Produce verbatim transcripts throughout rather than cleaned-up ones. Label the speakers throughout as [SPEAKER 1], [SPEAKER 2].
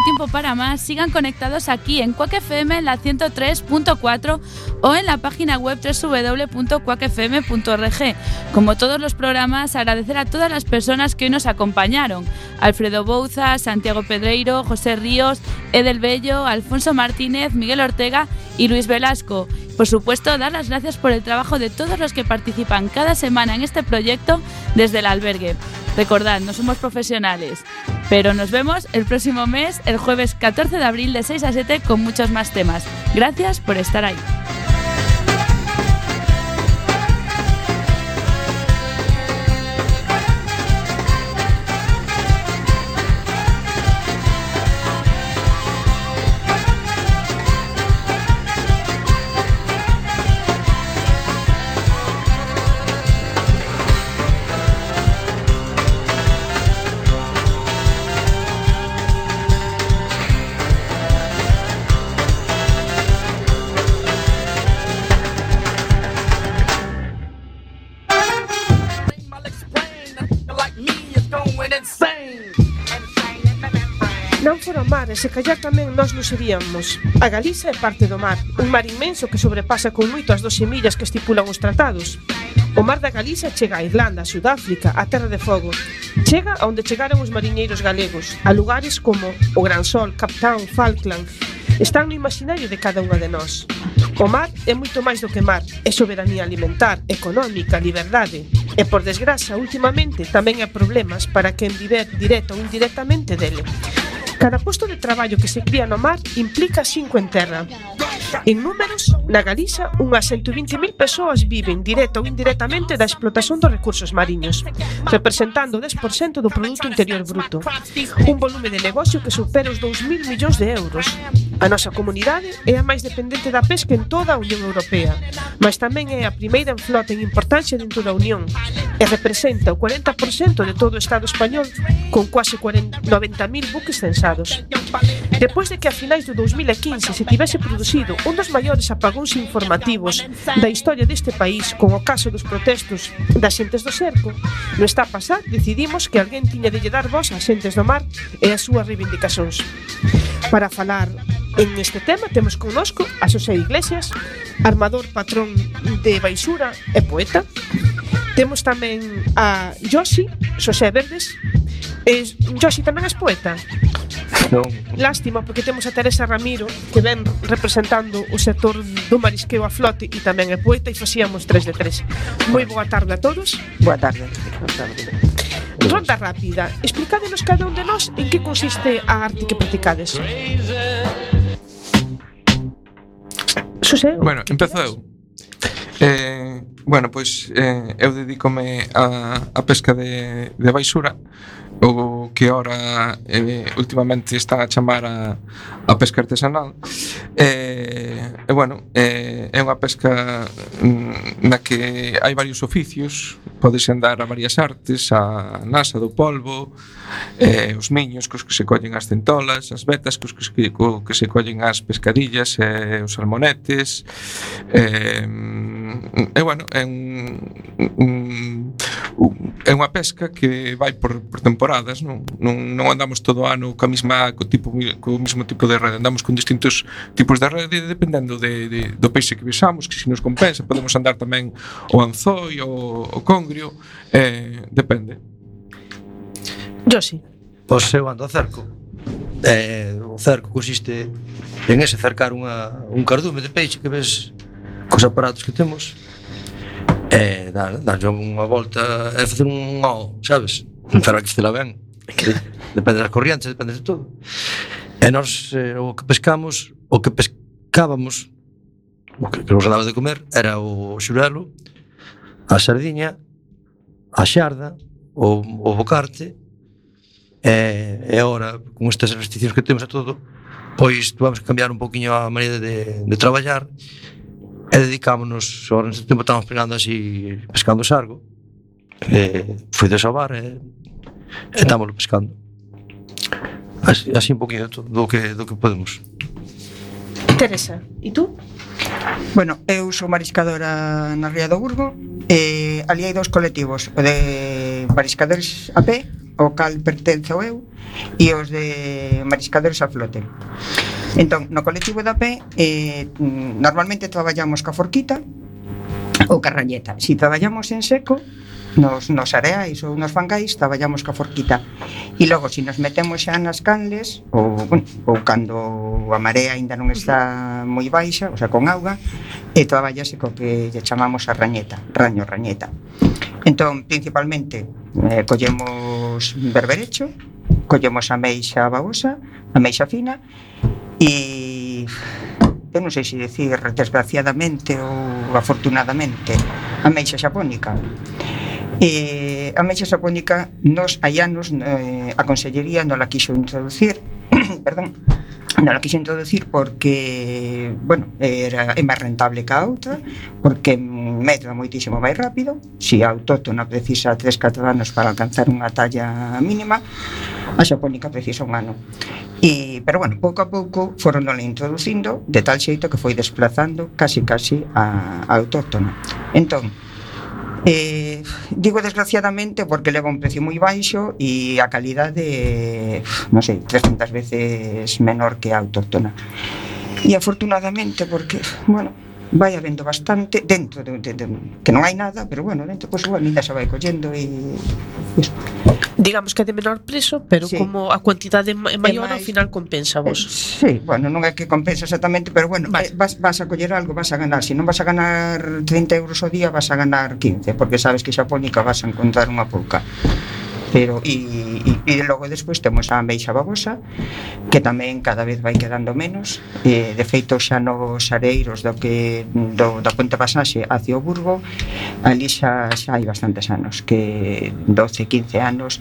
[SPEAKER 1] tiempo para más, sigan conectados aquí en Quack F M en la ciento tres punto cuatro o en la página web doble u doble u doble u punto quack f m punto org. Como todos los programas, agradecer a todas las personas que hoy nos acompañaron: Alfredo Bouza, Santiago Pedreiro, José Ríos, Edel Bello, Alfonso Martínez, Miguel Ortega y Luis Velasco. Por supuesto, dar las gracias por el trabajo de todos los que participan cada semana en este proyecto desde el albergue. Recordad, no somos profesionales, pero nos vemos el próximo mes, el jueves catorce de abril de seis a siete, con muchos más temas. Gracias por estar ahí.
[SPEAKER 2] Non fora o mar, e se callar tamén nós non seríamos. A Galiza é parte do mar, un mar inmenso que sobrepasa con moito as doce millas que estipulan os tratados. O mar da Galiza chega a Irlanda, a Sudáfrica, a Terra de Fogo. Chega a onde chegaron os mariñeiros galegos, a lugares como o Gran Sol, Captown, Falkland. Están no imaginario de cada unha de nós. O mar é moito máis do que mar, é soberanía alimentar, económica, liberdade. E, por desgraza, últimamente tamén hai problemas para quen viver directa ou indirectamente dele. Cada posto de traballo que se cría no mar implica cinco en terra. En números, na Galiza, unhas ciento vinte mil persoas viven directa ou indirectamente da explotación dos recursos mariños, representando o dez por cento do Produto Interior Bruto, un volume de negocio que supera os dous mil millóns de euros. A nosa comunidade é a máis dependente da pesca en toda a Unión Europea, mas tamén é a primeira en flota en importancia dentro da Unión e representa o cuarenta por cento de todo o Estado español, con quase noventa mil buques censados. Depois de que a finais do dos mil quince se tivese producido un dos maiores apagóns informativos da historia deste país, con o caso dos protestos das xentes do cerco, no está a pasar decidimos que alguén tiña de lle dar voz ás xentes do mar e as súas reivindicacións. Para falar en este tema temos connosco a Xosé Iglesias, armador patrón de Baixura e poeta. Temos tamén a Josi, Xosé Verdes. E Josi, tamén és poeta?
[SPEAKER 3] Non.
[SPEAKER 2] Lástima, porque temos a Teresa Ramiro, que ven representando o sector do marisqueo a flote e tamén é poeta, e facíamos tres de tres. Moi boa tarde a todos.
[SPEAKER 3] Boa tarde. Boa tarde.
[SPEAKER 2] Ronda rápida. Explicádenos cada un de nós en que consiste a arte que practicades. Xosé?
[SPEAKER 4] Bueno, empezo eu. Eh, bueno, pois eh, eu dedícome a, a pesca de, de baixura, o que ora eh, últimamente está a chamar a, a pesca artesanal. E, e bueno, eh, é unha pesca na que hai varios oficios, podes andar a varias artes, a nasa do polvo, eh, os miños cos que se collen as centolas, as vetas cos que se, co, que se collen as pescadillas e os salmonetes. Eh, e bueno, é un, un, un é unha pesca que vai por, por temporadas, non, non, non andamos todo o ano co mesma co tipo co mesmo tipo de rede, andamos con distintos tipos de rede dependendo de, de, do peixe que vexamos, que se nos compensa, podemos andar tamén o anzoi, o, o congrio, eh, depende.
[SPEAKER 2] Yo sí.
[SPEAKER 3] Pois eu ando a cerco. Eh, o cerco consiste en ese cercar unha, un cardume de peixe que ves cos aparatos que temos, e dar, darlle unha volta e facer un O, sabes? Pero hai que facela ben, depende das corrientes, depende de todo. E nós, eh, o que pescamos, o que pescábamos, o que, que nos daba de comer, era o xurelo, a sardiña, a xarda, o, o bocarte, e, e agora, con estas restriccións que temos a todo, pois tuvamos que cambiar un poquinho a maneira de, de traballar, e dedicámonos, agora neste tempo estamos pegando así, pescando sargo, e foi de sobar e, e estamos pescando así, así un poquinho do que, do que podemos.
[SPEAKER 2] Teresa, e tú?
[SPEAKER 5] Bueno, eu sou mariscadora na Ría do Burgo e ali hai dous colectivos, o de mariscadores a pé ao cal pertenzo eu, e os de mariscadores a flote. Entón, no colectivo de a pé, eh, normalmente traballamos ca forquita ou ca rañeta. Si traballamos en seco, nos, nos areais ou nos fangais, traballamos ca forquita. E logo, se si nos metemos xa nas canles, ou, bueno, ou cando a marea ainda non está moi baixa, o sea, con auga, e traballase co que lle chamamos a rañeta, raño, rañeta. Entón, principalmente, eh, collemos berberecho, collemos a meixa babosa, a meixa fina, e eu non sei se decir desgraciadamente ou afortunadamente a meixa xapónica. E a meixa xapónica nos hai anos eh, a Consellería non la quixo introducir perdón, non la quixo introducir porque, bueno, era, é máis rentable que a outra, porque medra moitísimo máis rápido. Si a autóctona precisa tres catro anos para alcanzar unha talla mínima, a xapónica precisa un ano. E, pero bueno, pouco a pouco foron non introducindo, de tal xeito que foi desplazando casi casi a, a autóctona. Entón, Eh, digo desgraciadamente porque leva un precio moi baixo e a calidade, non sei, trescentas veces menor que a autóctona. E afortunadamente porque, bueno, vai habendo bastante dentro de, de, de, que non hai nada, pero bueno, dentro pois pues, ainda se vai collendo e iso.
[SPEAKER 2] Digamos que é de menor preso, pero sí, como a cuantidade é maior, ao final compensa vos.
[SPEAKER 5] Eh, sí, bueno, non é que compensa exactamente, pero bueno, vale. eh, vas, vas a coller algo, vas a ganar. Se non vas a ganar trinta euros ao día, vas a ganar quince, porque sabes que xapónica vas a encontrar unha pouca. Pero e, e, e logo despois temos a meixa babosa, que tamén cada vez vai quedando menos. E, de feito, xa nos areiros do que do, da Ponte Pasaxe hacia o Burgo, ali xa, xa hai bastantes anos, que doce, quince anos,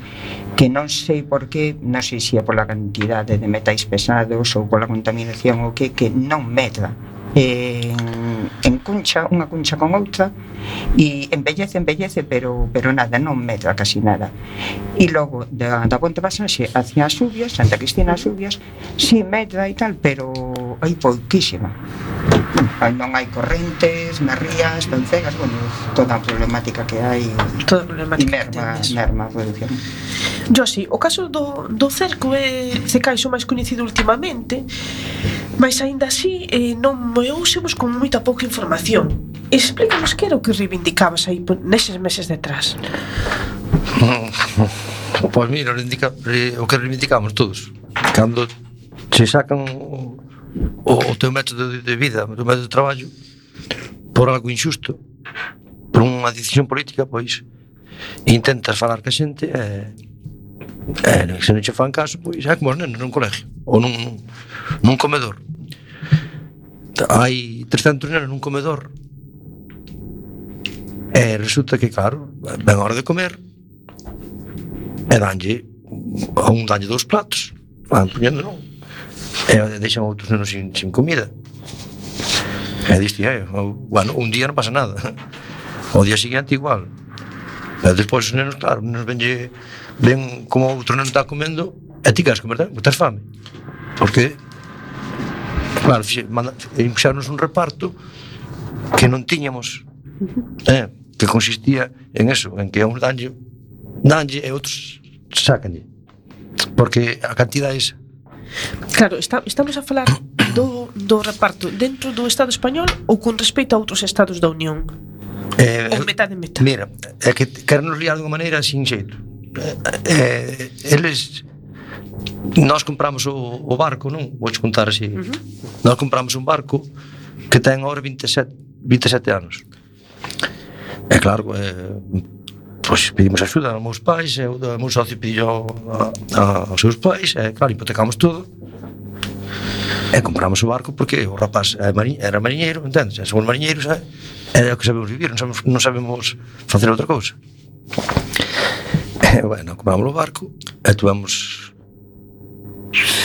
[SPEAKER 5] que non sei por qué, non sei se é pola cantidade de metais pesados ou pola contaminación ou que, que non medra en, en cuncha, unha cuncha con outra, e embellece, embellece, pero, pero nada, non medra casi nada. E logo da, da Ponte Pasaxe hacia as Subias, Santa Cristina as Subias, si medra e tal, pero hai pouquísima. Non hai correntes nas rías, tan cegas, bueno, toda a problemática que hai,
[SPEAKER 2] toda a problemática
[SPEAKER 5] e merma, merma a produción.
[SPEAKER 2] Josi, o caso do, do cerco é se caixo máis coñecido ultimamente, mas aínda así eh, non moeusemos con moita pouca información. Explícanos que era o que reivindicabas aí neses meses detrás.
[SPEAKER 3] Pois pues mira, o que reivindicamos todos, cando se sacan o, o teu método de vida, o teu método de traballo por algo injusto, por unha decisión política, pois intentas falar ca xente e, e se non che fan caso, pois é como os nenos nun colegio ou nun, nun comedor. Hai trescentos nenos nun comedor e resulta que, claro, ven a hora de comer e danlle a un danlle dous platos, van poñendo non, e deixan outros nenos sin, sin comida. E diste, eh, bueno, un día non pasa nada, o día seguinte igual, e despois os nenos, claro, os nenos venlle, ven como outro neno está comendo e ti queres comer, porque tens fame, porque claro, impuxarnos un reparto que non tiñamos, eh, que consistía en eso, en que a uns danlle danlle e outros sácanlle, porque a cantidade é esa.
[SPEAKER 2] Claro, está, estamos a falar do, do reparto dentro do Estado español ou con respecto a outros estados da Unión?
[SPEAKER 3] Eh,
[SPEAKER 2] ou metade metade?
[SPEAKER 3] Mira, é que queren nos liar de unha maneira sin xeito. Eh, eles nós compramos o, o barco, non? Vou contar así. Uh-huh. Nós compramos un barco que ten agora vinte e sete anos. É claro, eh, pois pedimos axuda aos meus pais, e o meu socio pediu a, a, aos seus pais, e claro, hipotecamos todo. E compramos o barco porque o rapaz era mariñeiro, entendes? E somos mariñeiros, é, é o que sabemos vivir, non sabemos, non sabemos facer outra cousa. E, bueno, compramos o barco e tuvemos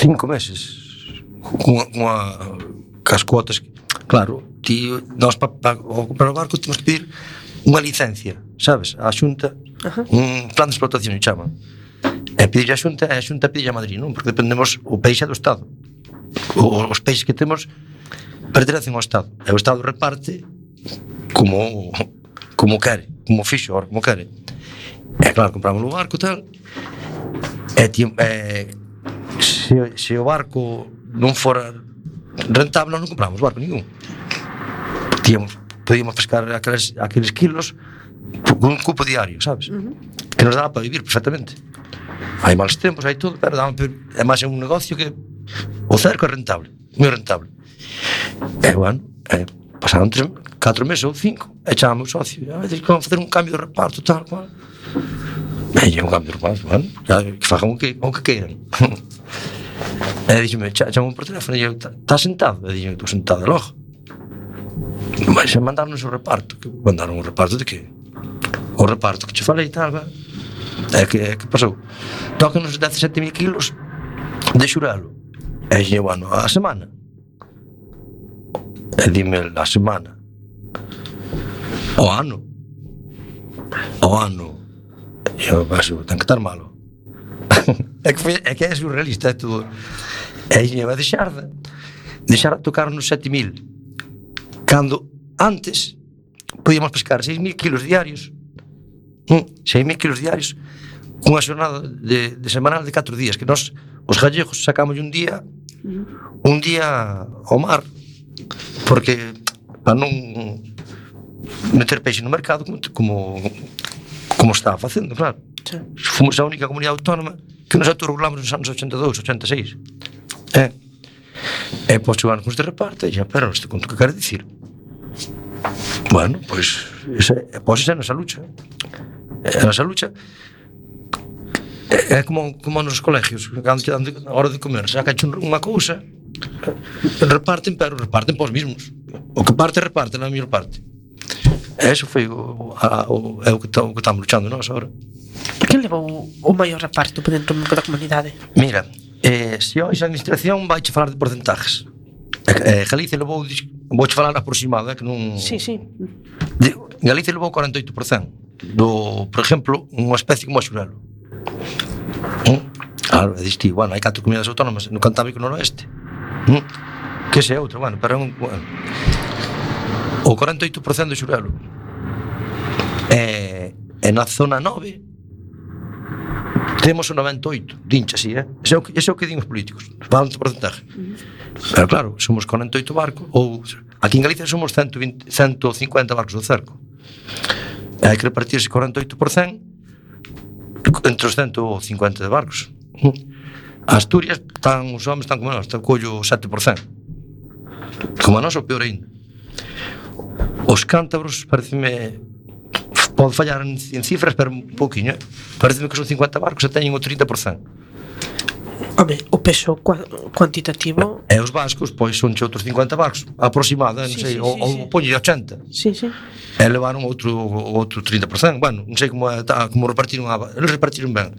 [SPEAKER 3] cinco meses con, con a, cas cuotas. Claro, ti, nós para pa, comprar o barco temos que pedir unha licencia, sabes? A Xunta, uh-huh. un plan de explotación se chama. E pedir a Xunta, e a Xunta pedir a Madrid, non? Porque dependemos, o peixe é do Estado. O, os peixes que temos pertenecen ao Estado. E o Estado reparte como como quere, como fixo, como quere. E claro, compramos o barco e tal. E, tí, e se, se o barco non fora rentable, nós non compramos barco ningún. Tíamos, podíamos pescar aqueles, aqueles kilos con un cupo diario, sabes? Uh-huh. Que nos daba para vivir perfectamente. Hai malos tempos, hai todo, pero daba, é máis un negocio que o cerco é rentable, moi rentable. E, bueno, e, pasaron tres, catro meses ou cinco, e chamamos o socio, a veces que vamos facer un cambio de reparto, tal, cual. E un cambio de reparto, bueno, que fagan o que, o que queiran. E díxeme, chamamos por teléfono, e eu, estás sentado? E díxeme, estou sentado, logo. Mas mandaron-nos o reparto. Mandaron o reparto de que? O reparto que te falei e tal, é que, é que pasou. Tócanos dezasete mil kilos de xurelo. E díxeme, bueno, a semana. E dime, a semana. O ano. O ano. E eu paso, ten que estar malo. É que, foi, é que é surrealista, é todo. E díxeme, vai deixar de deixar de tocarnos sete mil. Cando antes podíamos pescar seis mil kilos diarios, seis mil kilos diarios, cunha xornada de, de semanal de catro días, que nós, os gallegos, sacamos un día un día ao mar, porque para non meter peixe no mercado como como, como estaba facendo, claro. Sí. Fomos a única comunidade autónoma que nos autorregulamos nos anos ochenta e dous, ochenta e seis. E, e pois chegaron con este reparto e xa, pero isto conto que quero dicir. Bueno, pois esa, pois esa é a nosa lucha. É a nosa lucha. É, é como, como nos colegios, cando te dan a hora de comer, sacan unha cousa, reparten, pero reparten pos mismos. O que parte, reparte na mellor parte. E eso foi o, a, o, é o que estamos luchando nós agora.
[SPEAKER 2] Que levou o maior reparto dentro da comunidade?
[SPEAKER 3] Mira, eh, se hoxe a administración vai che falar de porcentajes. Eh, Galicia levou, vou che falar aproximado, eh, que non...
[SPEAKER 2] Sí, sí.
[SPEAKER 3] De, Galicia levou cuarenta e oito por cento do, por exemplo, unha especie como a xurelo. ¿Mm? Claro, é diste, bueno, hai catro comunidades autónomas no Cantábrico Noroeste. ¿Mm? Que se é outro, bueno, pero é un... Bueno, o cuarenta e oito por cento do xurelo. E, e na zona nove temos o noventa e oito, dincha así, eh? Ese é o que, ese é o que din os políticos, falam de porcentaje. Pero claro, somos cuarenta e oito barcos, ou aquí en Galicia somos ciento vinte, ciento cincuenta barcos do cerco. E hai que repartirse cuarenta e oito por cento entre os ciento cincuenta de barcos. Asturias, están, os homens están como nós, están collo sete por cento. Como a nós, o peor ainda. Os cántabros, pareceme, pode fallar en, en cifras, pero un pouquinho, eh? Pareceme que son cincuenta barcos e teñen o trinta por cento.
[SPEAKER 2] Home, o peso cuantitativo...
[SPEAKER 3] E os vascos, pois, son che outros cincuenta barcos, aproximada, non
[SPEAKER 2] sí,
[SPEAKER 3] sei,
[SPEAKER 2] sí,
[SPEAKER 3] ou,
[SPEAKER 2] sí,
[SPEAKER 3] ou
[SPEAKER 2] sí.
[SPEAKER 3] poñe ochenta.
[SPEAKER 2] Sí, sí.
[SPEAKER 3] E levaron outro, outro trinta por cento. Bueno, non sei como, como repartiron a... Eles repartiron ben.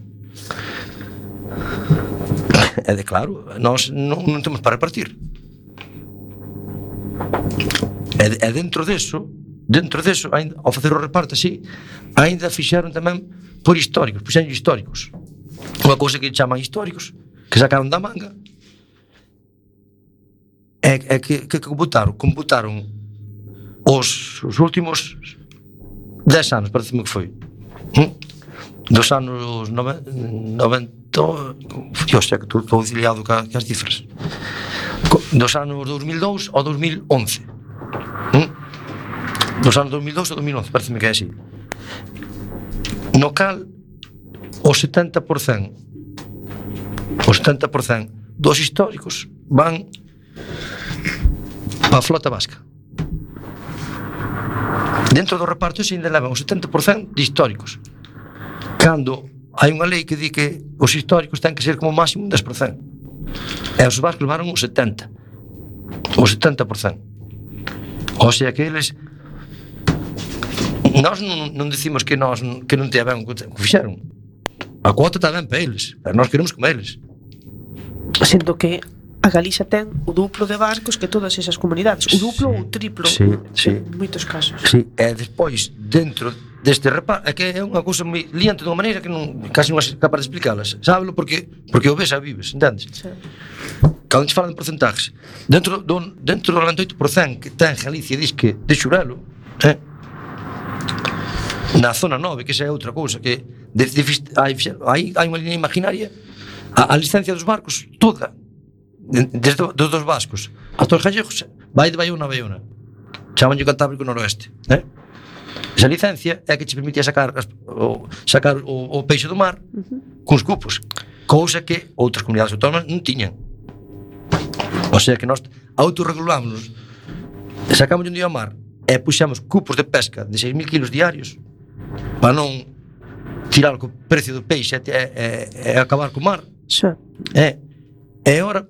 [SPEAKER 3] E de claro, nós non, non temos para repartir. E, e dentro deso, dentro deso, ainda, ao facer o reparto así, ainda fixeron tamén por históricos, puxeron históricos. Unha cousa que chaman históricos, que sacaron da manga, é, é que, que computaron, computaron os, os últimos dez anos, parece-me que foi, hm? Dos anos noventa, hostia, que estou auxiliado ca, ca as cifras, dos anos dos mil e dous ao dos mil e once, hm? Dos anos dos mil e dous ao dos mil e once, parece-me que é así, no cal o setenta por cento o setenta por cento dos históricos van para a flota vasca. Dentro do reparto se ainda levan o setenta por cento de históricos, cando hai unha lei que di que os históricos ten que ser como máximo un dez por cento, e os vascos levaron o setenta o setenta por cento. O sea que eles, nós non, non decimos que nós que non te ben o que fixeron. A cuota está ben para eles, pero nós queremos como eles.
[SPEAKER 2] Sendo que a Galicia ten o duplo de barcos que todas esas comunidades, o duplo ou o triplo,
[SPEAKER 3] sí, sí.
[SPEAKER 2] En moitos casos.
[SPEAKER 3] Sí, e despois, dentro deste reparto, é que é unha cousa moi liante dunha maneira que non, casi non é capaz de explicalas. Sábelo porque, porque o ves a vives, entendes? Sí. Cando te falan de porcentajes, dentro do, dentro do noventa e oito por cento que ten Galicia, diz que de xurelo, eh? Na zona nove, que esa é outra cousa, que de, de, hai, hai, hai unha línea imaginaria A, a licencia dos barcos, toda, desde dos dos vascos hasta os gallegos, vai de Baiona a Baiona. Chamanlle Cantábrico Noroeste, eh? Esa licencia é que che permitía sacar as, o, sacar o, o peixe do mar uh-huh. cuns cupos, cousa que outras comunidades autónomas non tiñan. O sea que nós autorregulámonos, sacamos un día ao mar e puxamos cupos de pesca de seis mil kilos diarios para non tirar co precio do peixe e, e, e acabar co mar.
[SPEAKER 2] Xa.
[SPEAKER 3] E, e ora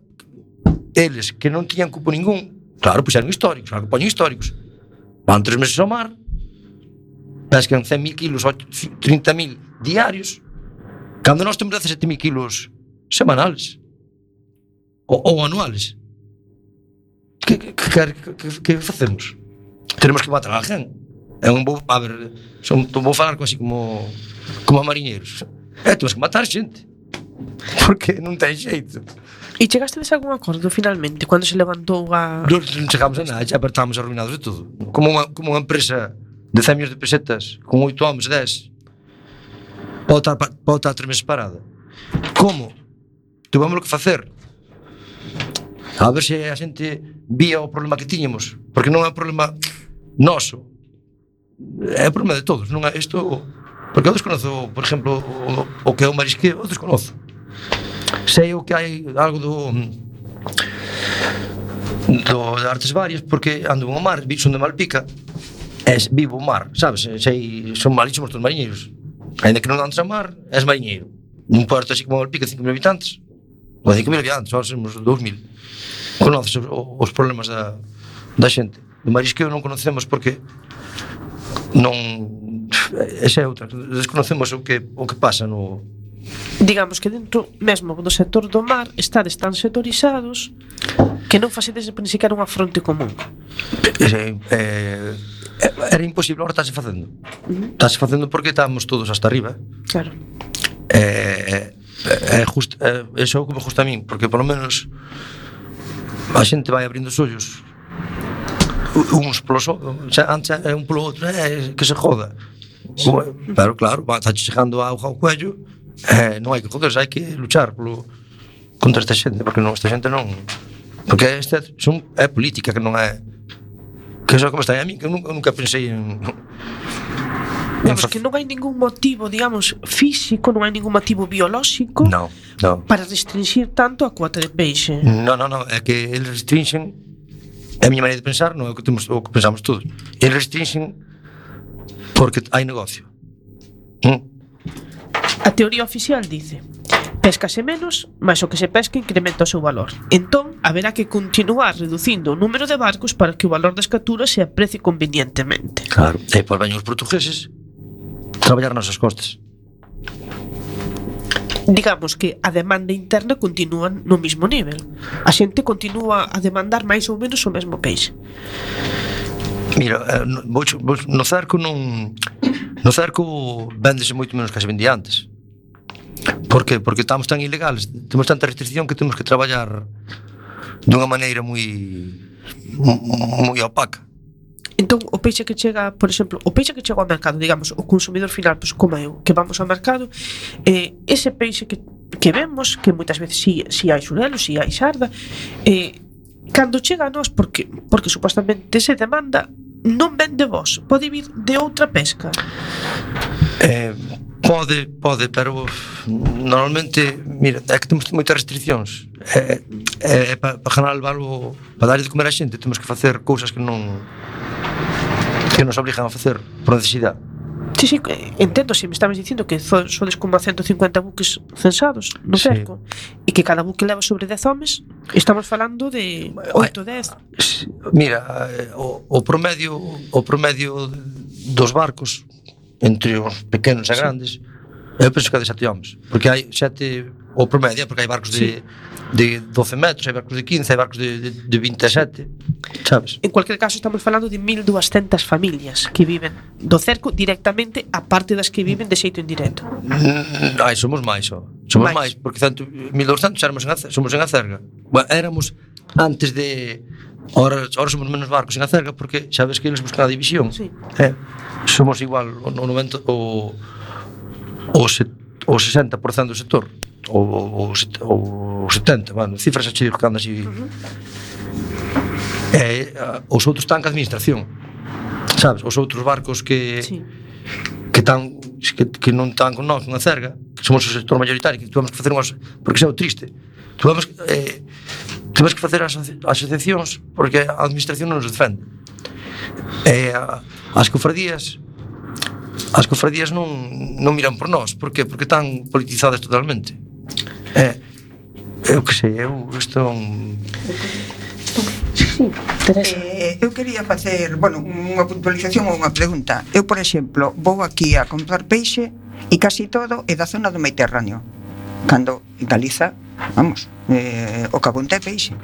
[SPEAKER 3] eles que non tiñan cupo ningún, claro, puxeron históricos, claro que poñen históricos, van tres meses ao mar, pescan cen mil kilos, trinta mil diarios, cando nós temos dezasete mil kilos semanales ou, ou anuales. Que, que, que, que, que facemos? Tenemos que matar a alguén. É un vou, a ver, son, vou falar así como como a mariñeiros. É, temos que matar xente. Porque non ten xeito.
[SPEAKER 2] E chegaste a algún acordo finalmente cando se levantou a...
[SPEAKER 3] Non chegamos a nada, xa estamos arruinados de todo. Como unha, como unha empresa de cen millóns de pesetas con oito homens, dez, pode estar, pode estar tres meses parada. Como? Tuvemos que facer a ver se a xente vía o problema que tiñamos, porque non é un problema noso, é un problema de todos. Non é isto, porque eu desconozo, por exemplo, o, o que é o marisqueo, eu desconozo. Sei o que hai algo do do de artes varias, porque ando ao mar, son de Malpica, é vivo o mar, sabes? Sei, son malísimos todos os mariñeiros. Ainda que non andes ao mar, és mariñeiro. Nun puerto así como Malpica, cinco mil habitantes, ou cinco mil habitantes, ahora somos dous mil. Conoces os, os problemas da, da xente. Do marisqueo non conocemos porque non... Esa é outra. Desconocemos o que, o que pasa no...
[SPEAKER 2] Digamos que dentro mesmo do sector do mar estades tan sectorizados que non facedes ni sequera unha fronte común.
[SPEAKER 3] Eh, eh, era imposible, agora estáse facendo. Uh-huh. Estáse facendo porque estamos todos hasta arriba.
[SPEAKER 2] Claro.
[SPEAKER 3] Eh, eh, just, eh, eso é o que me gusta a min, porque por lo menos a xente vai abrindo os ollos uns polos outros, antes é un polo outro, é que se joda. Sí. Pero claro, está chegando a auga ao cuello, eh, non hai que joderse, hai que luchar polo, contra esta xente, porque non, esta xente non, porque esta son, é política, que non é, que eso é como está a mí, que eu nunca, nunca pensei en...
[SPEAKER 2] Digamos que non hai ningún motivo, digamos, físico, non hai ningún motivo biolóxico
[SPEAKER 3] no, no.
[SPEAKER 2] para restringir tanto a cuota de peixe.
[SPEAKER 3] No, no, no, é que eles restringen, é a miña maneira de pensar, non é o que, temos, o que pensamos todos. Eles restringen porque hai negocio. ¿Mm?
[SPEAKER 2] A teoría oficial dice: péscase menos, mas o que se pesca incrementa o seu valor. Entón, haberá que continuar reducindo o número de barcos para que o valor das capturas se aprecie convenientemente.
[SPEAKER 3] Claro, e por veñen os portugueses traballar nas costas.
[SPEAKER 2] Digamos que a demanda interna continúa no mesmo nivel. A xente continúa a demandar máis ou menos o mesmo peixe.
[SPEAKER 3] Mira, no, no cerco non... No cerco véndese moito menos que se vendía antes. Por que? Porque estamos tan ilegales, temos tanta restricción que temos que traballar dunha maneira moi moi opaca.
[SPEAKER 2] Entón, o peixe que chega, por exemplo, o peixe que chega ao mercado, digamos, o consumidor final, pois como eu, que vamos ao mercado, eh, ese peixe que, que vemos, que moitas veces si, si hai xurelo, si hai xarda, eh, cando chega a nós, porque, porque supostamente se demanda, non vende vos, pode vir de outra pesca?
[SPEAKER 3] Eh, pode, pode, pero normalmente, mira, é que temos moitas restriccións. É, é, é para pa ganar o valor, para dar de comer a xente, temos que facer cousas que non que nos obrigan a facer por necesidade.
[SPEAKER 2] Sí, sí, entendo, se me estabas dicindo que sodes como a ciento cincuenta buques censados no cerco, sí. E que cada buque leva sobre dez homes, estamos falando de oito, dez.
[SPEAKER 3] Mira, o, o promedio o promedio dos barcos entre os pequenos e grandes, sí. Eu penso que é de sete homes, porque hai sete, o promedio, porque hai barcos de, sí. de doce metros, hai barcos de quince, hai barcos de, de, de vinte e sete, sabes?
[SPEAKER 2] En cualquier caso estamos falando de mil doscientas familias que viven do cerco directamente, a parte das que viven de xeito indirecto.
[SPEAKER 3] Mm, ai, somos máis, oh. somos máis, máis porque mil doscientos éramos en a, somos en Acerga. Bueno, éramos antes de... Ahora, ahora somos menos barcos en Acerga porque xa ves que eles buscan a división.
[SPEAKER 2] Sí.
[SPEAKER 3] Eh, somos igual o noventa o o, se, o o sesenta por cento do sector, ou o setenta por cento, bueno, cifras a che digo que anda así. Uh-huh. E os outros están que administración, sabes? Os outros barcos que sí. que están que, que non están con nós, unha cerga, que somos o sector mayoritario, que tuvemos que facer unhas, porque xa é o triste, tuvemos que eh, tuvemos que facer as asociacións porque a administración non nos defende. E as cofradías as cofradías non, non miran por nós. Por que? Porque están politizadas totalmente. É, eu que sei, eu isto é un...
[SPEAKER 5] Sí, eh, eu quería facer, bueno, unha puntualización ou unha pregunta. Eu, por exemplo, vou aquí a comprar peixe e casi todo é da zona do Mediterráneo. Cando en Galiza, vamos, eh, o cabonte é peixe.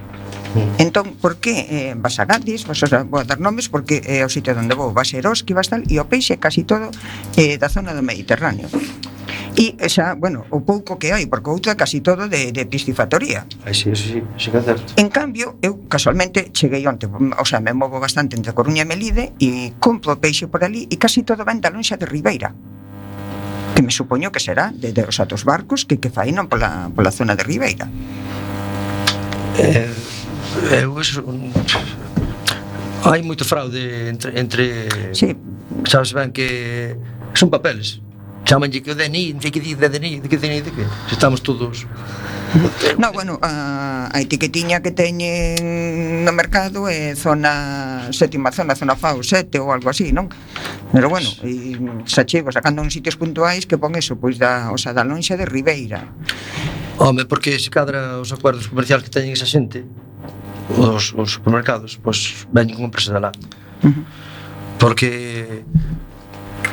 [SPEAKER 5] Entón, por que eh, vas a Gadis, vas a, vou a dar nomes porque é o sitio onde vou, vas a Eroski, vas tal, e o peixe casi todo eh, da zona do Mediterráneo. E xa, bueno, o pouco que hai, porque outro é casi todo de, de piscifactoría.
[SPEAKER 3] Ai, sí, sí, sí, sí que é certo.
[SPEAKER 5] En cambio, eu casualmente cheguei onte, o sea, me movo bastante entre Coruña e Melide e compro peixe por ali e casi todo ven da lonxa de Ribeira, que me supoño que será de, de os outros barcos que, que fainan pola, pola zona de Ribeira.
[SPEAKER 3] Eh... Eu, eso, hai moito fraude entre, entre
[SPEAKER 5] sí.
[SPEAKER 3] Sabes ben que son papeles, chamanlle que o D N I, non sei que di de D N I, de que D N I, de que se estamos todos.
[SPEAKER 5] No, bueno, a, a etiquetiña que teñen no mercado é zona sétima zona, zona F A O sete ou algo así, non? Pero bueno, e xa chego sacando uns sitios puntuais que pon eso, pois da, o sea, da lonxa de Ribeira.
[SPEAKER 3] Home, porque se cadra os acordos comerciais que teñen esa xente, os, os supermercados, pois veñen con empresa de lá. Uh-huh. Porque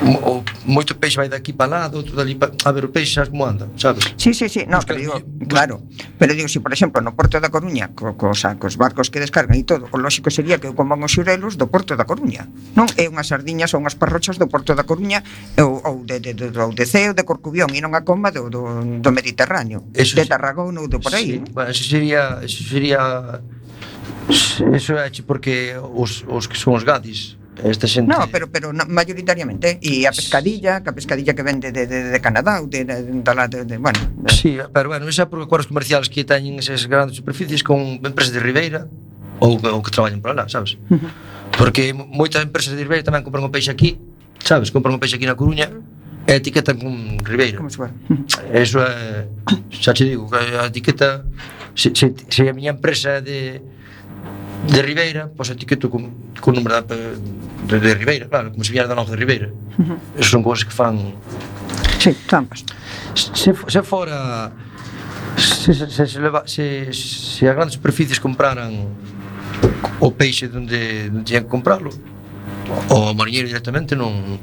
[SPEAKER 3] o, moito peixe vai daqui para lá, outro dali para... A ver, o peixe sabes como anda, sabes?
[SPEAKER 5] Sí, sí, sí, no, pero digo, claro. Pero digo, si por exemplo no Porto da Coruña co, co, o sea, cos barcos que descargan e todo, o lóxico sería que eu coman os xurelos do Porto da Coruña, non? É unhas sardiñas ou unhas parrochas do Porto da Coruña ou, ou de, de, de, de, de Ceo, de Corcubión, e non a coma do, do, do Mediterráneo, eso de Tarragona ou do por aí.
[SPEAKER 3] Sí, bueno, eso sería... Eso sería... Eso é porque os, os que son os gadis, esta xente...
[SPEAKER 5] No, pero, pero no, mayoritariamente. E a pescadilla, que a pescadilla que vende de, de, de Canadá ou de, de, de, de, de, bueno... De...
[SPEAKER 3] Sí, pero bueno, esa é por acordos comerciales que teñen esas grandes superficies con empresas de Ribeira ou, ou que traballan por lá, sabes? Uh-huh. Porque moitas empresas de Ribeira tamén compran o peixe aquí, sabes? Compran o peixe aquí na Coruña e etiquetan con Ribeira.
[SPEAKER 5] Como se fuera.
[SPEAKER 3] Eso é... Xa te digo, que a etiqueta... Se, se, se a miña empresa de... de Ribeira, pois etiqueto con, con número de, de, de Ribeira, claro, como se viera da longe de Ribeira. Uh-huh. Esas son cousas que fan...
[SPEAKER 5] Sí, trampas.
[SPEAKER 3] Se, se fora... Se, se, se, se, leva, se, se as grandes superficies compraran o peixe onde, onde tiñan que comprarlo, o o mariñeiro directamente non...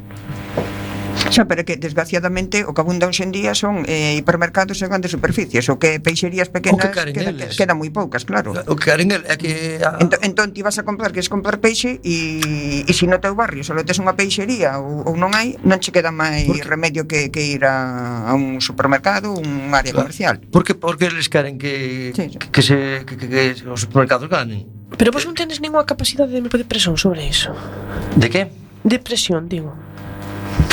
[SPEAKER 5] Xa, pero que desgraciadamente o que abunda hoxe en día son eh, hipermercados e grandes superficies, o que peixerías pequenas
[SPEAKER 3] que
[SPEAKER 5] queda,
[SPEAKER 3] eles.
[SPEAKER 5] quedan moi poucas, claro.
[SPEAKER 3] O que queren é que... A...
[SPEAKER 5] Entón, entón ti vas a comprar, queres comprar peixe e, e se no teu barrio só tes unha peixería ou, ou non hai, non che queda máis remedio que, que ir a, a un supermercado, un área comercial.
[SPEAKER 3] Porque, porque eles queren que, sí, sí. que, que, se, que, que, que os supermercados ganen.
[SPEAKER 2] Pero vos non tenes ninguna capacidade de presión sobre iso?
[SPEAKER 3] De que?
[SPEAKER 2] De presión, digo.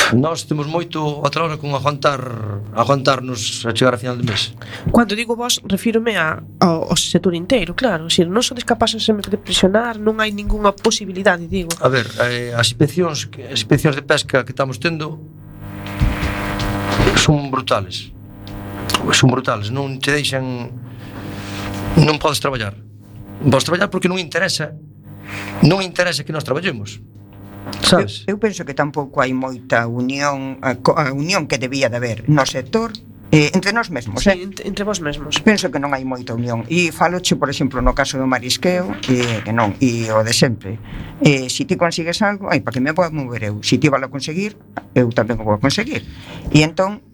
[SPEAKER 3] Nós temos moito a hora con aguantar aguantarnos a chegar a final de mes.
[SPEAKER 2] Cando digo vos, refírome a, ao, ao sector inteiro, claro. Se non sodes capaces de presionar, non hai ningunha posibilidade, digo.
[SPEAKER 3] A ver, eh, as inspeccións as inspeccións de pesca que estamos tendo son brutales. Son brutales, non te deixan, non podes traballar. Non podes traballar porque non interesa. Non interesa que nós traballemos. Sabes?
[SPEAKER 5] Eu, eu penso que tampouco hai moita unión, a, a unión que debía de haber no sector eh, entre nós mesmos,
[SPEAKER 2] sí,
[SPEAKER 5] eh?
[SPEAKER 2] entre, entre vos mesmos.
[SPEAKER 5] Penso que non hai moita unión. E faloche, por exemplo, no caso do marisqueo, eh, que non, e o de sempre. Eh, se ti consigues algo, ai, para que me poda mover eu. Se ti vas a conseguir, eu tamén o vou a conseguir. E entón,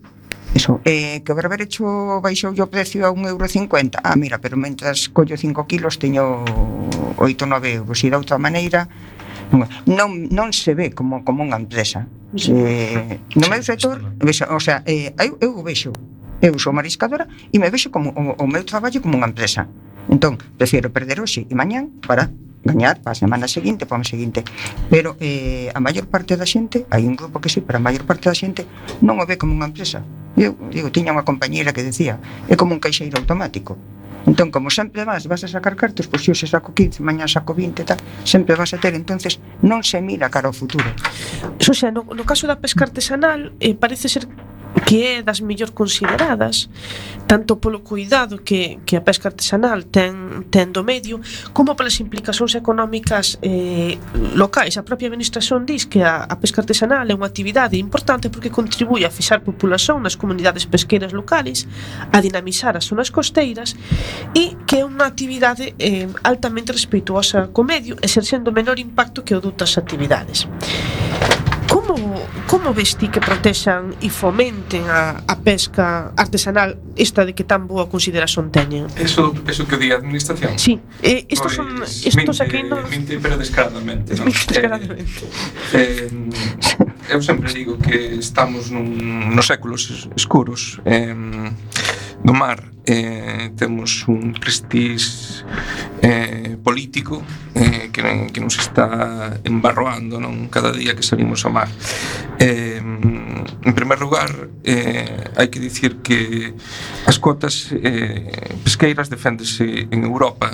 [SPEAKER 5] eso, eh, que o berberecho baixou o precio a un euro cincuenta. Ah, mira, pero mentras collo cinco kilos teño oito ou nove euros. E de outra maneira, non, non se ve como, como unha empresa. Se, no meu sector, vexo, o sea, eh, eu, eu vexo, eu sou mariscadora e me vexo como o, o meu traballo como unha empresa. Entón, prefiro perder hoxe e mañán para gañar para a semana seguinte, para o mes seguinte. Pero eh, a maior parte da xente, hai un grupo que sí, pero a maior parte da xente non o ve como unha empresa. Eu, digo, tiña unha compañeira que decía, é como un caixeiro automático. Entón, como sempre vas, vas a sacar cartos, pois se hoxe saco quince, mañá saco vinte, tal, sempre vas a ter, entonces non se mira cara ao futuro.
[SPEAKER 2] Eso xa, no, no caso da pesca artesanal, eh, parece ser que é das mellor consideradas, tanto polo cuidado que, que a pesca artesanal ten, ten do medio, como polas implicacións económicas eh, locais. A propia administración diz que a, a pesca artesanal é unha actividade importante porque contribúe a fixar populación nas comunidades pesqueiras locales, a dinamizar as zonas costeiras e que é unha actividade eh, altamente respetuosa co medio, exercendo menor impacto que o doutras actividades. Como, como ves ti que protexan e fomenten a, a pesca artesanal, esta de que tan boa consideración teñen?
[SPEAKER 4] Eso, eso que di a administración?
[SPEAKER 2] Sí, eh, estos
[SPEAKER 4] pues,
[SPEAKER 2] son estos aquí no...
[SPEAKER 4] Minte, pero descaradamente, ¿no?
[SPEAKER 2] Descaradamente.
[SPEAKER 4] Eh, eh, eu sempre digo que estamos nun, nos séculos escuros eh, do mar. Eh, temos un prestige eh, político eh, que, que nos está embarroando, non? Cada día que salimos ao mar. Eh, en primer lugar, eh, hai que dicir que as cotas eh, pesqueiras deféndese en Europa.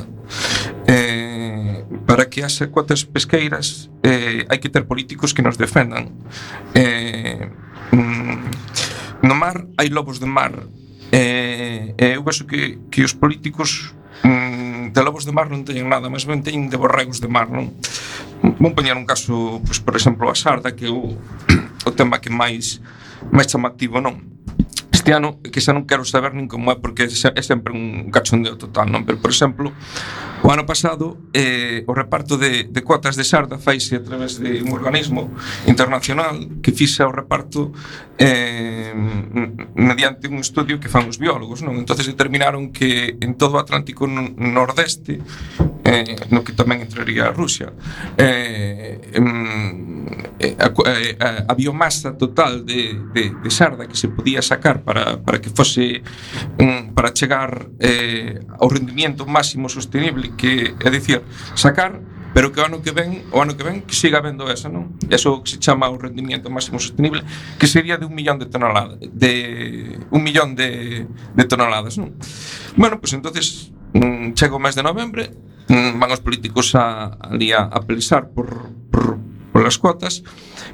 [SPEAKER 4] Eh, para que haxa cotas pesqueiras eh, hai que ter políticos que nos defendan. Eh, mm, no mar hai lobos de mar. Eh, eu vexo que, que os políticos mm, de lobos de mar non teñen nada, máis ben teñen de borregos de mar, non? Vou poñer un caso, pois, por exemplo, a sarda, que é o, o tema que máis máis chamativo, non? Este ano, que xa non quero saber nin como é, porque é sempre un cachondeo total, non? Pero, por exemplo, o ano pasado eh, o reparto de, de cuotas de sarda faise a través de un organismo internacional que fixa o reparto eh, mediante un estudio que fan os biólogos, non? Entonces determinaron que en todo o Atlántico nordeste, eh, no que tamén entraría a Rusia, eh, eh, a, a, a biomasa total de, de, de sarda que se podía sacar para, para que fose um, para chegar eh, ao rendimiento máximo sostenible, que é dicir, sacar, pero que o ano que ven, o ano que ven que siga habendo esa, non? Eso que se chama o rendimiento máximo sostenible, que sería de un millón de toneladas, de un millón de, de toneladas, non? Bueno, pois pues entonces mm, chega o mes de novembre, mm, van os políticos a, ali a, a pelexar por, por, por as cotas,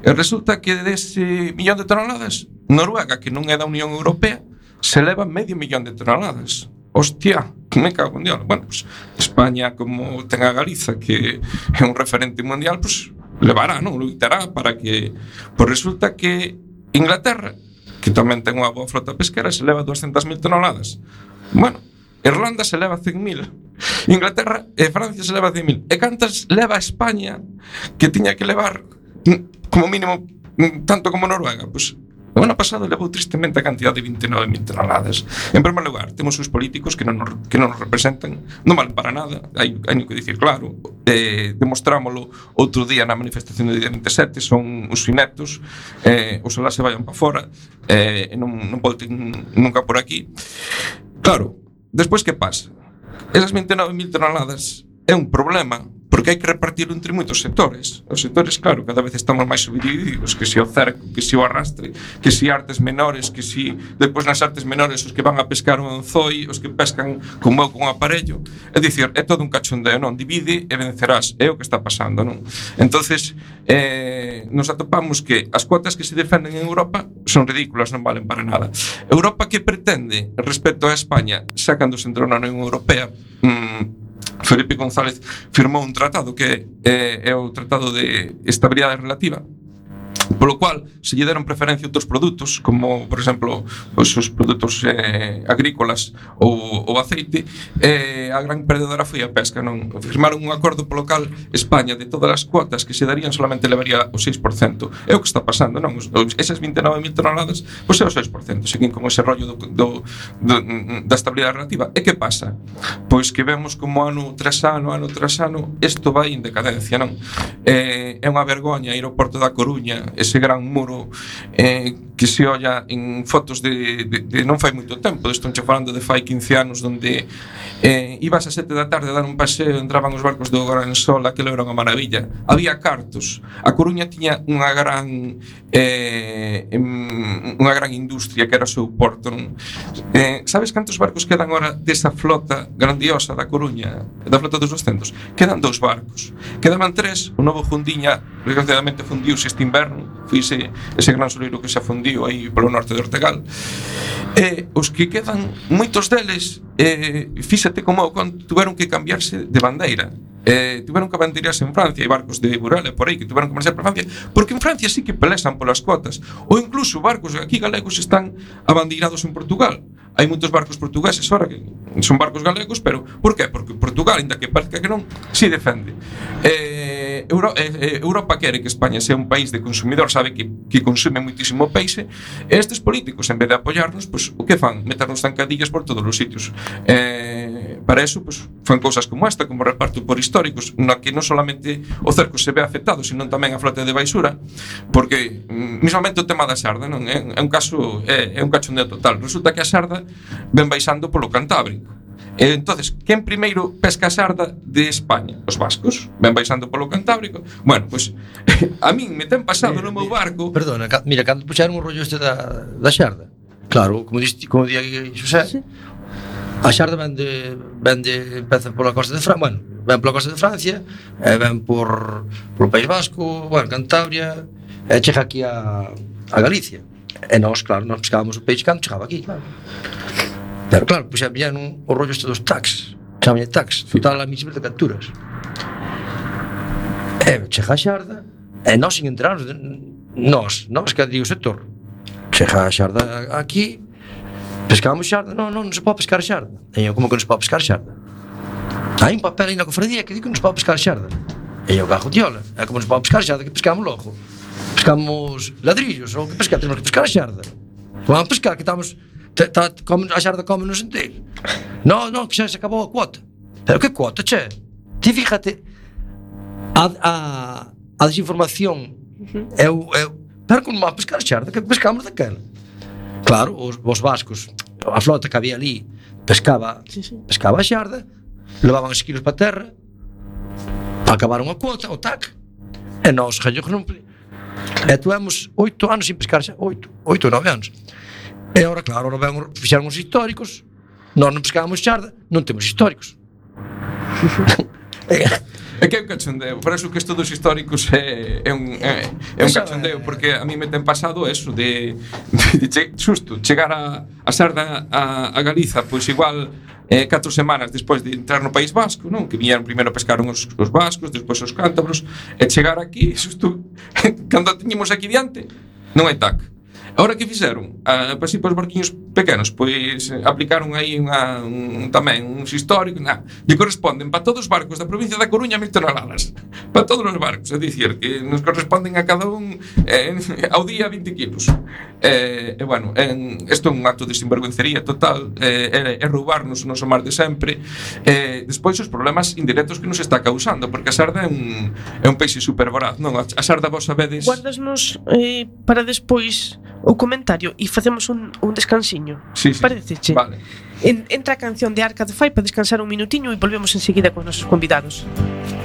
[SPEAKER 4] e resulta que dese millón de toneladas, Noruega, que non é da Unión Europea, se leva medio millón de toneladas. Hostia, que me cago en Dios. Bueno, pues España, como ten a Galiza, que é un referente mundial, pues levará, non? Luitará para que... Pues resulta que Inglaterra, que tamén ten unha boa flota pesquera, se leva doscientas mil toneladas. Bueno, Irlanda se leva cen mil. Inglaterra e Francia se leva cen mil. E cantas leva España, que tiña que levar como mínimo tanto como Noruega? Pues o ano pasado levou tristemente a cantidad de vinte e nove mil toneladas. En primeiro lugar, temos os políticos que non nos, que non nos representan, non valen para nada, hai, hai que dicir claro, eh, demostrámoslo outro día na manifestación do día vinte e sete, son os ineptos, eh, oxalá se vayan para fora, eh, non, non volten nunca por aquí. Claro, despois que pasa? Esas vinte e nove mil toneladas é un problema, porque hai que repartirlo entre moitos sectores. Os sectores, claro, cada vez estamos máis subdivididos, que si o cerco, que si o arrastre, que si artes menores, que si depois nas artes menores os que van a pescar un anzoi, os que pescan como eu con un aparello. É dicir, é todo un cachondeo, non? Divide e vencerás, é o que está pasando, non? Entonces, eh, nos atopamos que as cuotas que se defenden en Europa son ridículas, non valen para nada. Europa que pretende, respecto a España, xa cando se entrou na Unión Europea, mmm, Felipe González firmou un tratado que é, é o Tratado de Estabilidade Relativa, polo cual se lle deron preferencia a outros produtos, como, por exemplo, os, os produtos eh, agrícolas ou o aceite, e eh, a gran perdedora foi a pesca, non? Firmaron un acordo polo cal España, de todas as cuotas que se darían, solamente levaría o seis por cento. É o que está pasando, non? Os, esas vinte e nove mil toneladas, pois é o seis por cento, seguín con ese rollo do, do, do, da estabilidade relativa. E que pasa? Pois que vemos como ano tras ano, ano tras ano, isto vai en decadencia, non? Eh, é unha vergoña ir ao Porto da Coruña, ese gran muro eh, que se olla en fotos de, de, de non fai moito tempo, estou falando de fai quince anos, donde eh, ibas a sete da tarde a dar un paseo, entraban os barcos do Gran Sol, aquilo era unha maravilla, había cartos. A Coruña tiña unha gran eh, unha gran industria que era o seu porto, non? Eh, sabes cantos barcos quedan agora desa flota grandiosa da Coruña, da flota dos doscientos? Quedan dous barcos, quedaban tres, o novo Fundiña desgraciadamente fundiuse este inverno, foi ese, ese gran soleiro que se afundiu aí polo norte de Ortegal. E os que quedan, moitos deles, eh, fíxate como tuveron que cambiarse de bandeira. Eh, tiveron que abandeirarse en Francia, hai barcos de Burela por aí que tiveron que marchar para Francia, porque en Francia sí que pelesan polas cuotas, ou incluso barcos aquí galegos están abandeirados en Portugal. Hai moitos barcos portugueses ahora que son barcos galegos, pero por qué? Porque Portugal, ainda que parezca que non, si defende. Eh, Euro, eh, Europa quere que España sea un país de consumidor, sabe que, que consume moitísimo peixe, e estes políticos, en vez de apoiarnos, pues, o que fan? Meternos zancadillas por todos os sitios. Eh, para eso, pues, fan cousas como esta, como reparto por históricos, na que non solamente o cerco se ve afectado, sino tamén a flota de baixura, porque mismamente o tema da sarda, non é, é un caso, é, é un cachondeo total. Resulta que a sarda ven baixando polo Cantábrico. E entonces, quen primeiro pesca a sarda de España? Os vascos, ven baixando polo Cantábrico. Bueno, pois pues, a min me ten pasado no meu barco.
[SPEAKER 3] Perdona, mira, cando puxeron o rollo este da, da xarda, claro, como diste, como di aquí Xosé, sí. A xarda ven de, ven de, empeza pola costa de Francia, bueno, ven pola costa de Francia, e ven por polo País Vasco, bueno, Cantabria, e chega aquí a, a Galicia. E nós, claro, nós pescábamos o peixe cando chegaba aquí, claro. Pero claro, pois xa pillan o rollo este dos tax, chamalle tax, total a mísimas de capturas. E chega a xarda, e nós sin enterarnos, nós, nós que digo o sector, chega a xarda aquí, pescábamos xarda, non, non, non se pode pescar xarda. E eu, como que non se pode pescar xarda? Hai un papel aí na cofradía que di que non se pode pescar xarda. E eu, cajo tiola, é como non se pode pescar xarda, que pescamos logo. Pescamos ladrillos, ou que pescar, temos que pescar a xarda. Vamos pescar, que estamos... Ta, come, a xarda come nos inteiro. Non, non, que xa se acabou a cuota. Pero que cuota, che? Ti fíjate, a, a, a desinformación é o... Pero como vamos pescar a xarda, que pescamos daquela. Claro, os, os vascos, a flota que había ali, pescaba, sí, sí. pescaba a xarda, levaban os quilos para a terra, acabaron a cuota, o tac, e nós, jallogos non... E tuemos oito anos sin pescar xarda, oito, oito ou nove anos. E agora, claro, agora ven, fixeron os históricos, nós non pescábamos xarda, non temos históricos.
[SPEAKER 4] É que é un cachondeo, por eso que isto dos históricos é, é, un, é, é un cachondeo, porque a mí me ten pasado eso de, de, de che, xusto, chegar a, a sarda a, a Galiza, pois igual eh, catro semanas despois de entrar no País Vasco, non? Que viñeron, primeiro pescaron os, os vascos, despois os cántabros, e chegar aquí, xusto, cando teñemos aquí diante, non hai tac. Ahora que fixeron? Ah, para si para os barquiños pequenos, pois aplicaron aí unha, un, tamén uns históricos, nah, lle corresponden para todos os barcos da provincia da Coruña mil toneladas, para todos os barcos, é dicir, que nos corresponden a cada un eh, ao día vinte kilos. E, eh, eh, bueno, isto eh, é un acto de sinvergüencería total, é eh, eh, roubarnos o noso mar de sempre, e eh, despois os problemas indirectos que nos está causando, porque a sarda é un, é un peixe super voraz, non? A sarda vos sabedes...
[SPEAKER 2] Guardasnos eh, para despois o comentario e facemos un, un descansiño.
[SPEAKER 4] Sí, sí.
[SPEAKER 2] Pareceche?
[SPEAKER 4] Vale.
[SPEAKER 2] En, entra a canción de Arca de Fai para descansar un minutiño e volvemos enseguida con os nosos convidados.
[SPEAKER 6] I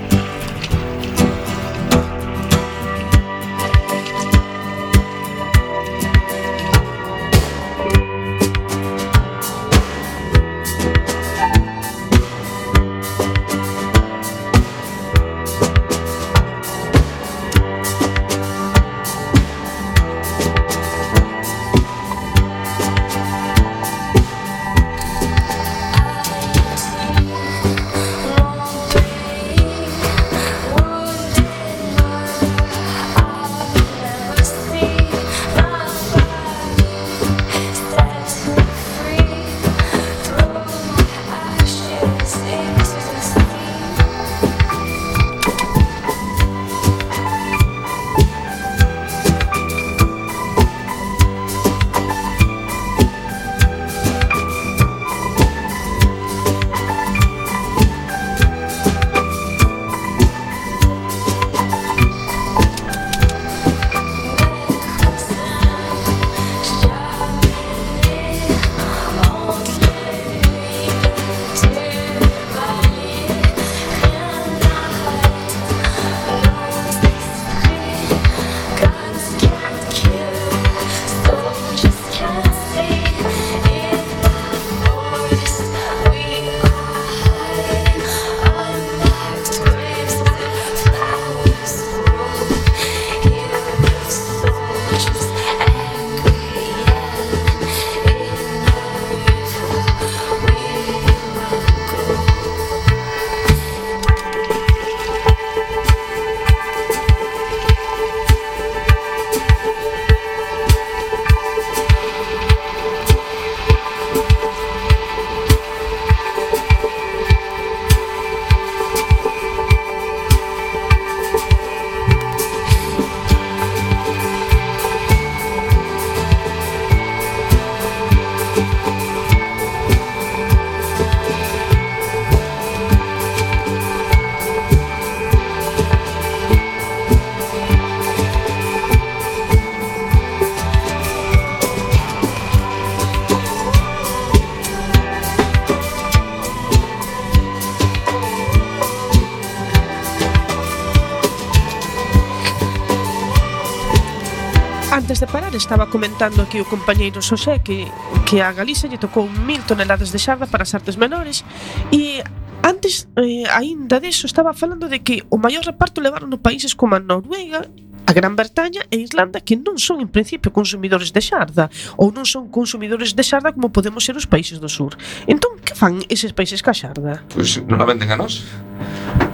[SPEAKER 2] Antes de parar estaba comentando aquí o compañeiro Xosé que, que a Galiza lle tocou mil toneladas de xarda para as artes menores e antes, eh, aínda deso, estaba falando de que o maior reparto levaron no países como a Noruega, a Gran Bretaña e Islanda, que non son en principio consumidores de xarda ou non son consumidores de xarda como podemos ser os países do sur. Entón, que fan eses países ca xarda?
[SPEAKER 4] Pois non la venden a nós.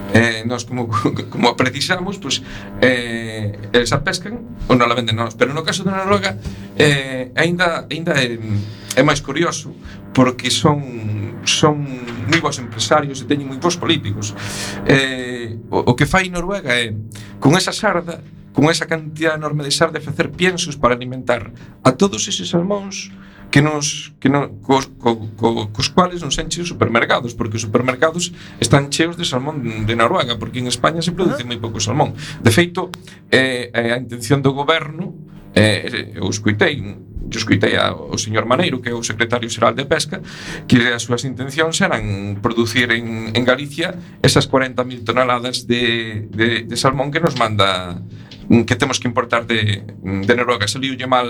[SPEAKER 4] Eh, nós como, como precisamos, pois, eh, eles a pescan ou non la venden a nós. Pero no caso de Noruega eh, ainda, ainda é, é máis curioso porque son, son moi bons empresarios e teñen moi bons políticos. Eh, o, o que fai Noruega é, con esa xarda, con esa cantidad enorme de xarda, de facer piensos para alimentar a todos eses salmóns que nos que no, cos, co, co, cos cuales nos enche os supermercados, porque os supermercados están cheos de salmón de Noruega, porque en España se produce moi pouco salmón. De feito, eh, a intención do goberno, eh, eu escuitei eu escuitei ao señor Maneiro, que é o secretario xeral de Pesca, que as súas intencións eran producir en, en Galicia esas cuarenta mil toneladas de, de, de salmón que nos manda, que temos que importar de, de Noruega. Saliulle mal,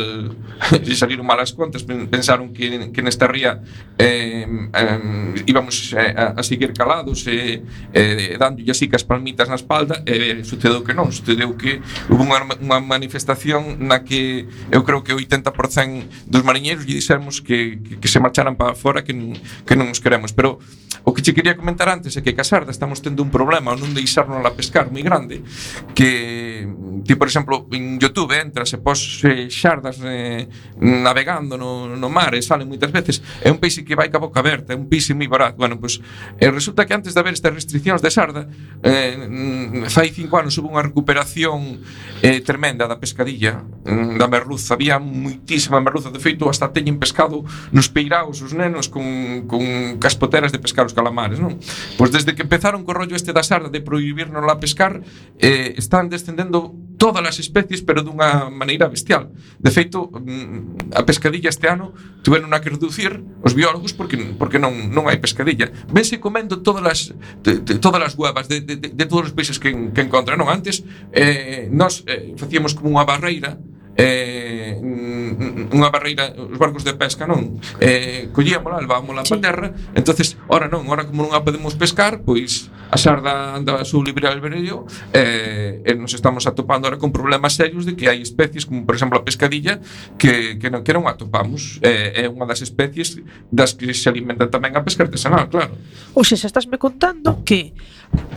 [SPEAKER 4] saliron mal as contas, pensaron que, que nesta ría eh, eh, íbamos eh, a, a seguir calados e eh, dándolle así cas palmitas na espalda, e eh, sucedeu que non, sucedeu que hubo unha, unha manifestación na que eu creo que o oitenta por cento dos mariñeiros lle dixemos que, que, que se marcharan para fora, que non, que non nos queremos. Pero o que che quería comentar antes é que ca xarda estamos tendo un problema ao non deixarnos a pescar moi grande, que ti, por exemplo, en YouTube entras e pos eh, xardas eh, navegando no, no mar e salen moitas veces, é un peixe que vai ca boca aberta, é un peixe moi barato. Bueno, pois, eh, resulta que antes de haber estas restriccións de xarda, eh, fai cinco anos houve unha recuperación eh, tremenda da pescadilla, eh, da merluza. Había moitísima merluza, de feito, hasta teñen pescado nos peiraos os nenos con, con caspoteras de pescar os calamares, non? Pois desde que empezaron co rollo este da xarda de prohibirnos la pescar, eh, están descendendo todas as especies, pero dunha maneira bestial. De feito, a pescadilla este ano tiveron a que reducir os biólogos porque, porque non, non hai pescadilla. Vense comendo todas as, de, de, todas as huevas de, de, de todos os peixes que, que encontran. Non, antes eh, nós eh, facíamos como unha barreira, eh, unha barreira, os barcos de pesca, non? Eh, collíamola, levámola sí. para terra. Entonces, ora non, ora como non a podemos pescar, pois a xarda anda a su libre albedrío, eh, e nos estamos atopando ahora con problemas serios de que hai especies como, por exemplo, a pescadilla que, que, non, que non atopamos. Eh, é unha das especies das que se alimentan tamén a pesca artesanal, claro.
[SPEAKER 2] Ou se estás me contando que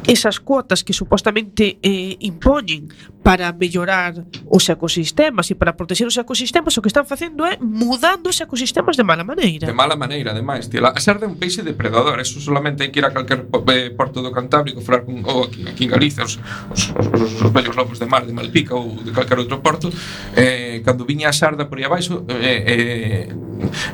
[SPEAKER 2] esas cuotas que supostamente eh, impoñen para mellorar os ecosistemas e para proteger os ecosistemas, o que están facendo é mudando os ecosistemas de mala maneira.
[SPEAKER 4] De mala maneira, ademais, tío. A xarda é un peixe depredador, eso solamente hai que ir a calquer porto do Cantábrico, falar con, ou aquí, aquí en Galicia, os, os, os, os vellos lobos de mar de Malpica ou de calquer outro porto, eh, cando viña a xarda por aí abaixo, eh, eh,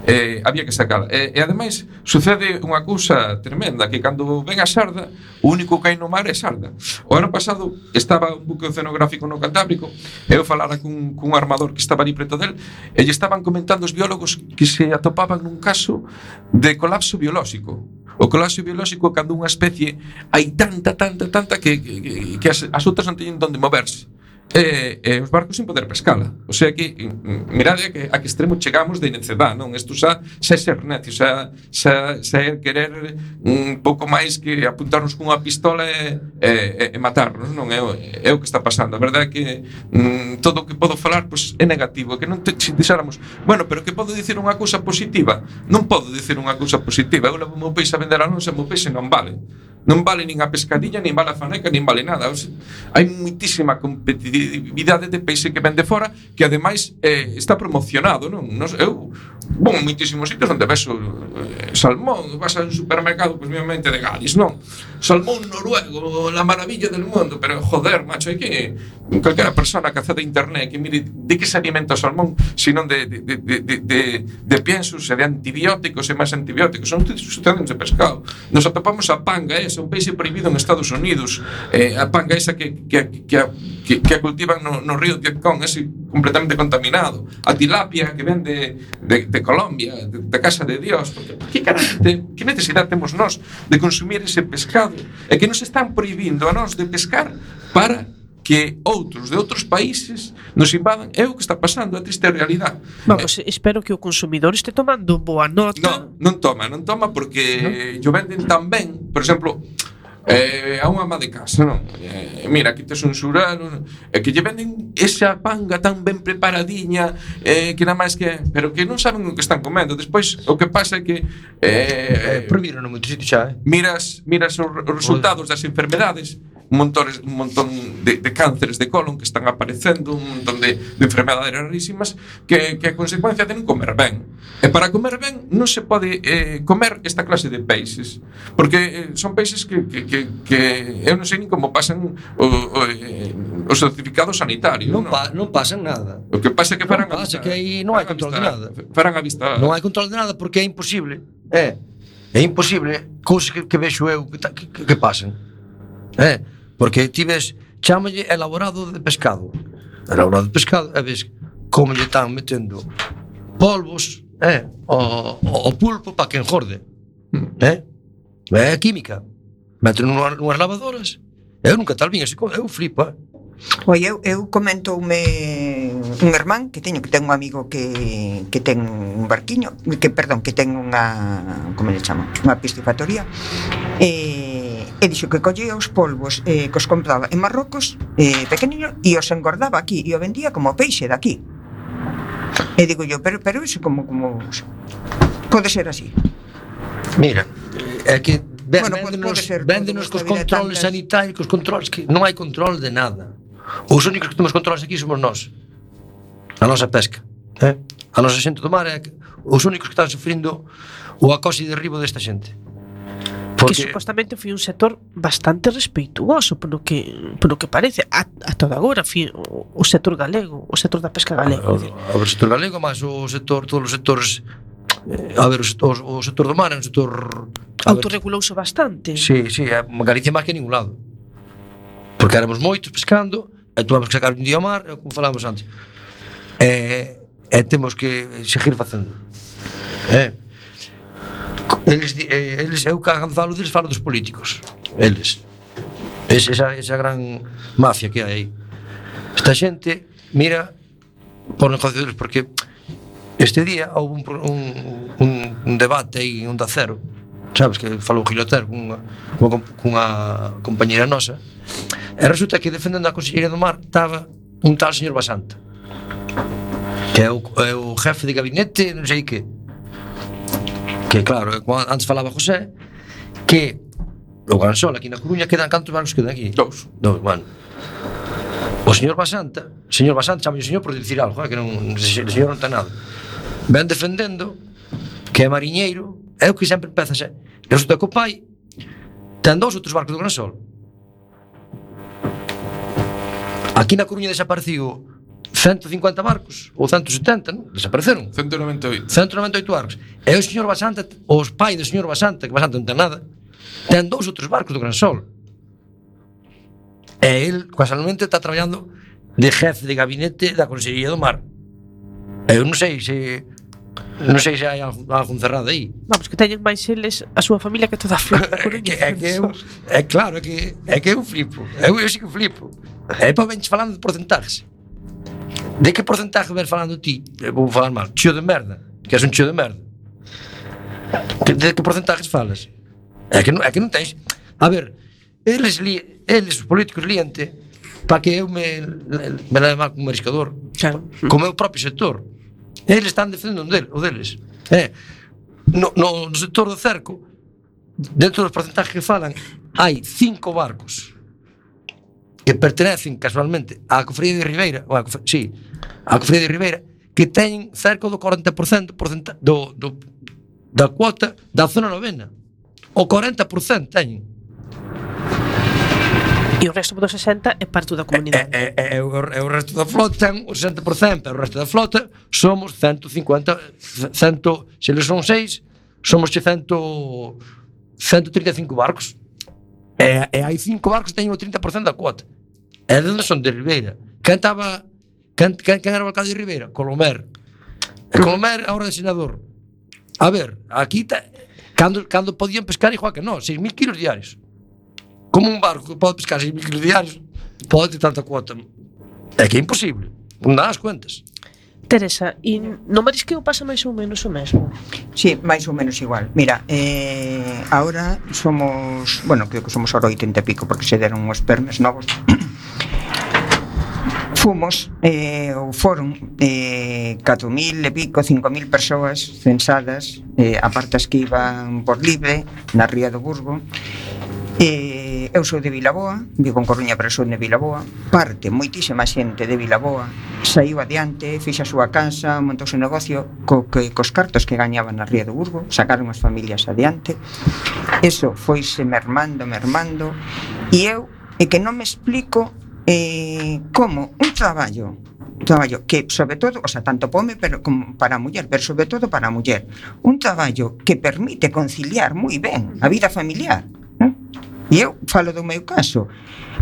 [SPEAKER 4] eh, había que sacala. E, e ademais, sucede unha cousa tremenda, que cando ven a xarda, o único que hai no mar é xarda. O ano pasado estaba un buque oceanográfico no Cantábrico, e eu falara cun, cun armador que estaba ali preto del, e lle estaban comentando os biólogos que se atopaban nun caso de colapso biolóxico. O colapso biolóxico cando unha especie hai tanta, tanta, tanta que, que, que as, as outras non teñen donde moverse. E, e os barcos sin poder pescala. O sea que, mirade a que, a que extremo chegamos de necedad, non? Isto xa, xa é ser necio, xa, xa, xa é querer un pouco máis que apuntarnos cunha pistola e, e, e matarnos, non? É, é o que está pasando. A verdade é que mm, todo o que podo falar pois, é negativo, que non te, se dixéramos, bueno, pero que podo dicir unha cousa positiva? Non podo dicir unha cousa positiva. Eu levo o meu peixe a vender a lonxa, o meu peixe non vale. Non vale nin a pescadilla, nin vale a faneca, nin vale nada. O sea, hai moitísima competitividade de peixe que vende fora, que ademais eh, está promocionado, non? Nos, eu vou en moitísimos sitios onde vexo eh, salmón, vas a un supermercado, pois, obviamente, de Gadis, non? Salmón noruego, la maravilla del mundo, pero, joder, macho, hai que calquera persona que accede a internet que mire de que se alimenta o salmón, senón de, de, de, de, de, de piensos e de antibióticos e máis antibióticos. Son sucedentes de pescado. Nos atopamos a panga esa, un peixe prohibido en Estados Unidos, eh, a panga esa que, que, que, que, que a cultivan no, no río de Vietcong, ese completamente contaminado, a tilapia que ven de, de, de Colombia, de, de Casa de Dios. Porque, que, carante, que necesidade temos nós de consumir ese pescado? É que nos están prohibindo a nós de pescar para que outros de outros países nos invadan. É o que está pasando, é a triste realidade.
[SPEAKER 2] Vamos, eh, espero que o consumidor este tomando boa nota.
[SPEAKER 4] Non, non toma, non toma porque ¿no? Yo venden tan ben, por exemplo, eh, a unha ama de casa, non? Eh, mira, aquí tes un xurano, eh, que lle venden esa panga tan ben preparadiña, eh, que nada máis que, pero que non saben o que están comendo. Despois o que pasa é que eh,
[SPEAKER 3] eh, prohibiron no moito sitio xa, eh?
[SPEAKER 4] Miras, miras os, os resultados das enfermedades, un montón, un montón de, de cánceres de colon que están aparecendo, un montón de, de enfermedades rarísimas que, que a consecuencia de non comer ben. E para comer ben non se pode eh, comer esta clase de peixes, porque eh, son peixes que, que, que, que eu non sei nin como pasan o, o, eh, os certificados sanitarios.
[SPEAKER 3] Non,
[SPEAKER 4] non?
[SPEAKER 3] pa, non pasa nada.
[SPEAKER 4] O que pasa é que farán
[SPEAKER 3] non pasa
[SPEAKER 4] a vista,
[SPEAKER 3] que aí non hai control de nada.
[SPEAKER 4] Farán a vista.
[SPEAKER 3] Non hai control de nada porque é imposible. É, é imposible cousas que, que vexo eu que, que, que pasan. É, porque ti ves, chámalle elaborado de pescado. Elaborado de pescado, e ves como lle están metendo polvos, é, o, o pulpo para que engorde. É, é química. Meten nunhas, nunhas lavadoras. Eu nunca tal vin, eu flipo, é.
[SPEAKER 5] Oi, eu, eu comentoume un irmán que teño, que ten un amigo que, que ten un barquiño, que, perdón, que ten unha, como le chama, unha piscifactoría, e, e dixo que collía os polvos eh, que os compraba en Marrocos, eh, pequeniño, e os engordaba aquí, e o vendía como peixe daqui. E digo yo, pero, pero iso como, como pode ser así?
[SPEAKER 3] Mira, é que ven,
[SPEAKER 5] Bueno,
[SPEAKER 3] véndenos,
[SPEAKER 5] pode ser,
[SPEAKER 3] véndenos
[SPEAKER 5] pode
[SPEAKER 3] cos controles
[SPEAKER 5] tantas-
[SPEAKER 3] sanitarios, cos controles que non hai control de nada. Os únicos que temos controles aquí somos nós. A nosa pesca, eh? A nosa xente do mar é que, os únicos que están sufrindo o acoso e derribo desta xente.
[SPEAKER 2] Que supostamente foi un sector bastante respeituoso polo que polo que parece a, a toda agora fi, o, o sector galego, o sector da pesca galego.
[SPEAKER 3] O, o, o sector galego, máis o sector, todos os sectores, eh, a ver, o sector, o sector do mar é un sector a ver,
[SPEAKER 2] autorregulouse bastante.
[SPEAKER 3] Sí, sí, é Galicia máis que en ningún lado. Porque éramos moitos pescando, e tuvamos que sacar un día ao mar, como falábamos antes. E, e temos que seguir facendo. Eh? Eles, eh, eles, eu cando falo deles, falo dos políticos. Eles. Es, esa, esa gran mafia que hai aí. Esta xente, mira, por negocio deles, porque este día houve un, un, un, un debate aí, un da cero, sabes, que falou Gilotero cunha, cunha, cunha compañera nosa, e resulta que defendendo a Consellería do Mar estaba un tal señor Basanta, que é o, é o jefe de gabinete, non sei que, que claro, antes falaba José, que o Gansol aquí na Coruña quedan, cantos barcos quedan aquí?
[SPEAKER 4] Dous.
[SPEAKER 3] Dous, bueno. O señor Basanta, señor Basanta, chama o señor por dicir algo, eh, que non, o señor non ten nada. Ven defendendo que é mariñeiro, é o que sempre empeza a ser. Resulta que o pai ten dous outros barcos do Gansol. Aquí na Coruña desaparecido ciento cincuenta barcos, ou ciento setenta, non? Desapareceron.
[SPEAKER 4] ciento noventa e oito.
[SPEAKER 3] ciento noventa e oito barcos. E o señor Basanta, os pai do señor Basanta, que Basanta non ten nada, ten dous outros barcos do Gransol. E el, casualmente, está traballando de jefe de gabinete da Consellería do Mar. Eu non sei se... Non sei se hai algo, algo cerrado aí.
[SPEAKER 2] Vamos, que teñen máis eles a súa familia que toda a
[SPEAKER 3] é, que, é, que eu, é claro, é que, é que eu flipo. Eu, eu sí que flipo. E depois venches falando de porcentajes. De que porcentaje ves falando ti? Eu vou falar mal. Chío de merda. Que és un chío de merda. De, de que porcentajes falas? É que non, é que non tens... A ver, eles, li, eles os políticos líante para que eu me, me leve mal como mariscador.
[SPEAKER 2] Claro.
[SPEAKER 3] Como é o propio sector. Eles están defendendo o deles. Eh, no, no, no sector do cerco, dentro dos porcentajes que falan, hai cinco barcos que pertenecen casualmente á Cofradía de Ribeira, ou a, sí, á Cofradía de Ribeira, que teñen cerca do cuarenta por cento do, do, da cuota da zona novena. O cuarenta por cento teñen.
[SPEAKER 2] E o resto do sesenta é parte da comunidade.
[SPEAKER 3] E, e, e, e, o, e o resto da flota ten o sesenta por cento, e o resto da flota somos ciento cincuenta, cem, se eles son seis, somos cento, ciento trinta e cinco barcos. E, e hai cinco barcos que teñen o trinta por cento da cuota. E de onde son? De Ribeira. Quen estaba, quen, quen, quen era o alcalde de Ribeira? Colomer. E Colomer agora de senador. A ver, aquí ta, cando, cando podían pescar igual que nós, seis mil kilos diarios. Como un barco que pode pescar seis mil kilos diarios, pode ter tanta cuota. É que é imposible. Non dá as cuentas.
[SPEAKER 2] Teresa, e no marisqueo pasa máis ou menos o mesmo?
[SPEAKER 5] Sí, máis ou menos igual. Mira, eh, ahora somos, bueno, creo que somos ahora oitenta e pico, porque se deron os permes novos. Fomos, eh, ou foron eh, catro mil e pico, cinco mil persoas censadas, eh, aparte as que iban por libre, na Ría do Burgo. Eh, eu sou de Vilaboa, vivo en Coruña, pero sou de Vilaboa. Parte moitísima xente de Vilaboa saiu adiante, fixa a súa casa, montou o negocio co, que, cos cartos que gañaban na Ría do Burgo, sacaron as familias adiante. Eso foise mermando, mermando, e eu é que non me explico eh, como un traballo un traballo que, sobre todo, o sea, tanto para home pero como para a muller, pero sobre todo para a muller, un traballo que permite conciliar moi ben a vida familiar. E eu falo do meu caso.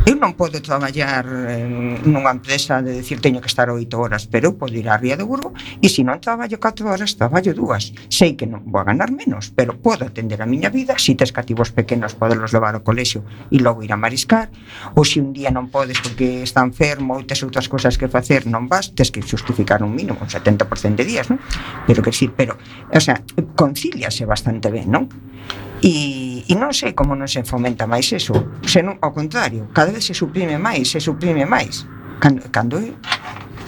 [SPEAKER 5] Eu non podo traballar en nunha empresa de decir teño que estar oito horas, pero eu podo ir á Ría do Burgo e se non traballo catro horas, traballo dúas. Sei que non vou a ganar menos, pero podo atender a miña vida. Se tes cativos pequenos, podelos levar ao colexio e logo ir a mariscar. Ou se un día non podes porque está enfermo ou tes outras cousas que facer, non vas, tes que justificar un mínimo, un setenta por ciento de días, non? Pero que sí, pero, o sea, concíliase bastante ben, non? E, e non sei como non se fomenta máis eso, senón ao contrario, cada vez se suprime máis, se suprime máis. Cando, cando eu,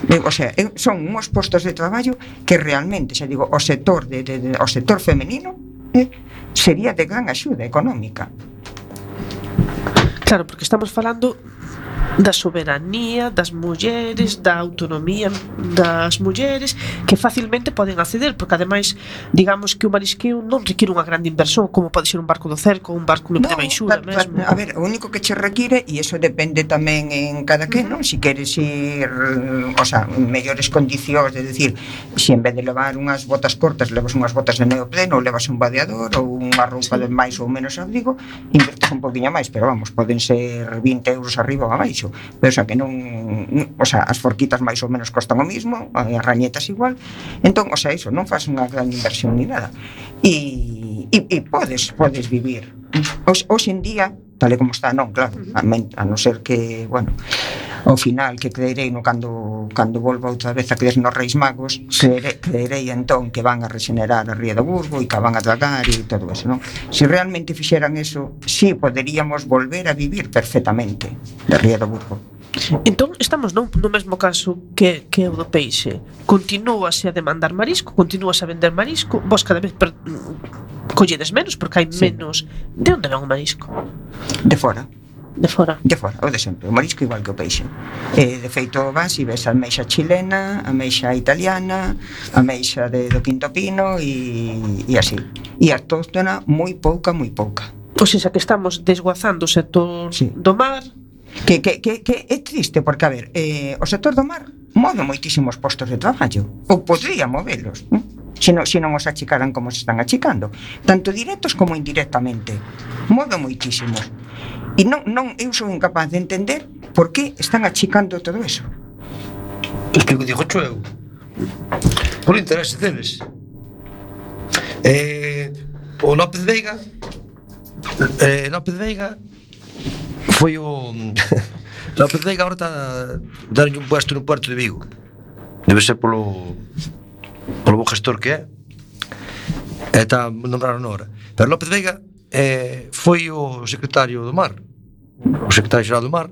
[SPEAKER 5] eu, o sea, eu, son uns postos de traballo que realmente, xa digo, o sector de, de, de o sector femenino eh, sería de gran axuda económica.
[SPEAKER 2] Claro, porque estamos falando da soberanía das mulleres, da autonomía das mulleres que facilmente poden acceder, porque ademais digamos que o marisqueo non require unha grande inversión como pode ser un barco do cerco ou un barco no, de baixura mesmo.
[SPEAKER 5] A ver, o único que che require, e iso depende tamén en cada que, non? Si queres ir, o sea, en mellores condicións, de decir, se en vez de levar unhas botas cortas levas unhas botas de neopreno ou levas un vadeador ou unha roupa sí. de máis ou menos abrigo, invertes un poquinho máis, pero vamos, poden ser vinte euros arriba ou abaixo. Pero, o sea, que non, o sea, as forquitas máis ou menos costan o mismo, as rañetas igual. Entón, o sea, iso, non faz unha gran inversión ni nada. E, e, e podes, podes vivir. Hoxe en día, tal e como está, non, claro, a, men, a non ser que, bueno, ao final que creerei no cando cando volva outra vez a creer nos Reis Magos, creerei, creerei entón que van a regenerar a Ría do Burgo e que van a dragar e todo eso, non? Se realmente fixeran eso, sí poderíamos volver a vivir perfectamente da Ría do Burgo.
[SPEAKER 2] Entón, estamos no, no mesmo caso que, que o do peixe. Continúase a demandar marisco, continúase a vender marisco, vos cada vez per, colledes menos porque hai sí. menos. De onde ven o marisco?
[SPEAKER 5] De fora.
[SPEAKER 2] De fora?
[SPEAKER 5] De fora, o de sempre. O marisco igual que o peixe. Eh, de feito, vas e ves a ameixa chilena, a ameixa italiana, a ameixa de, do Quinto Pino e, e así. E autóctona moi pouca, moi pouca.
[SPEAKER 2] O sea, que estamos desguazando o sector sí. do mar.
[SPEAKER 5] Que, que, que, que é triste porque, a ver, eh, o sector do mar move moitísimos postos de traballo, ou podría movelos, ¿no? Se non, se non os achicaran como se están achicando, tanto directos como indirectamente. Move moitísimos. E non, non, eu sou incapaz de entender por que están achicando todo eso.
[SPEAKER 3] Es que o digo cho eu, por interés deles. Eh, o López Veiga, eh, López Veiga foi o López Veiga agora está dando un puesto no Puerto de Vigo. Debe ser polo polo bo gestor que é. E está nombrado ahora. Pero López Veiga eh, foi o secretario do mar, o secretario xeral do mar.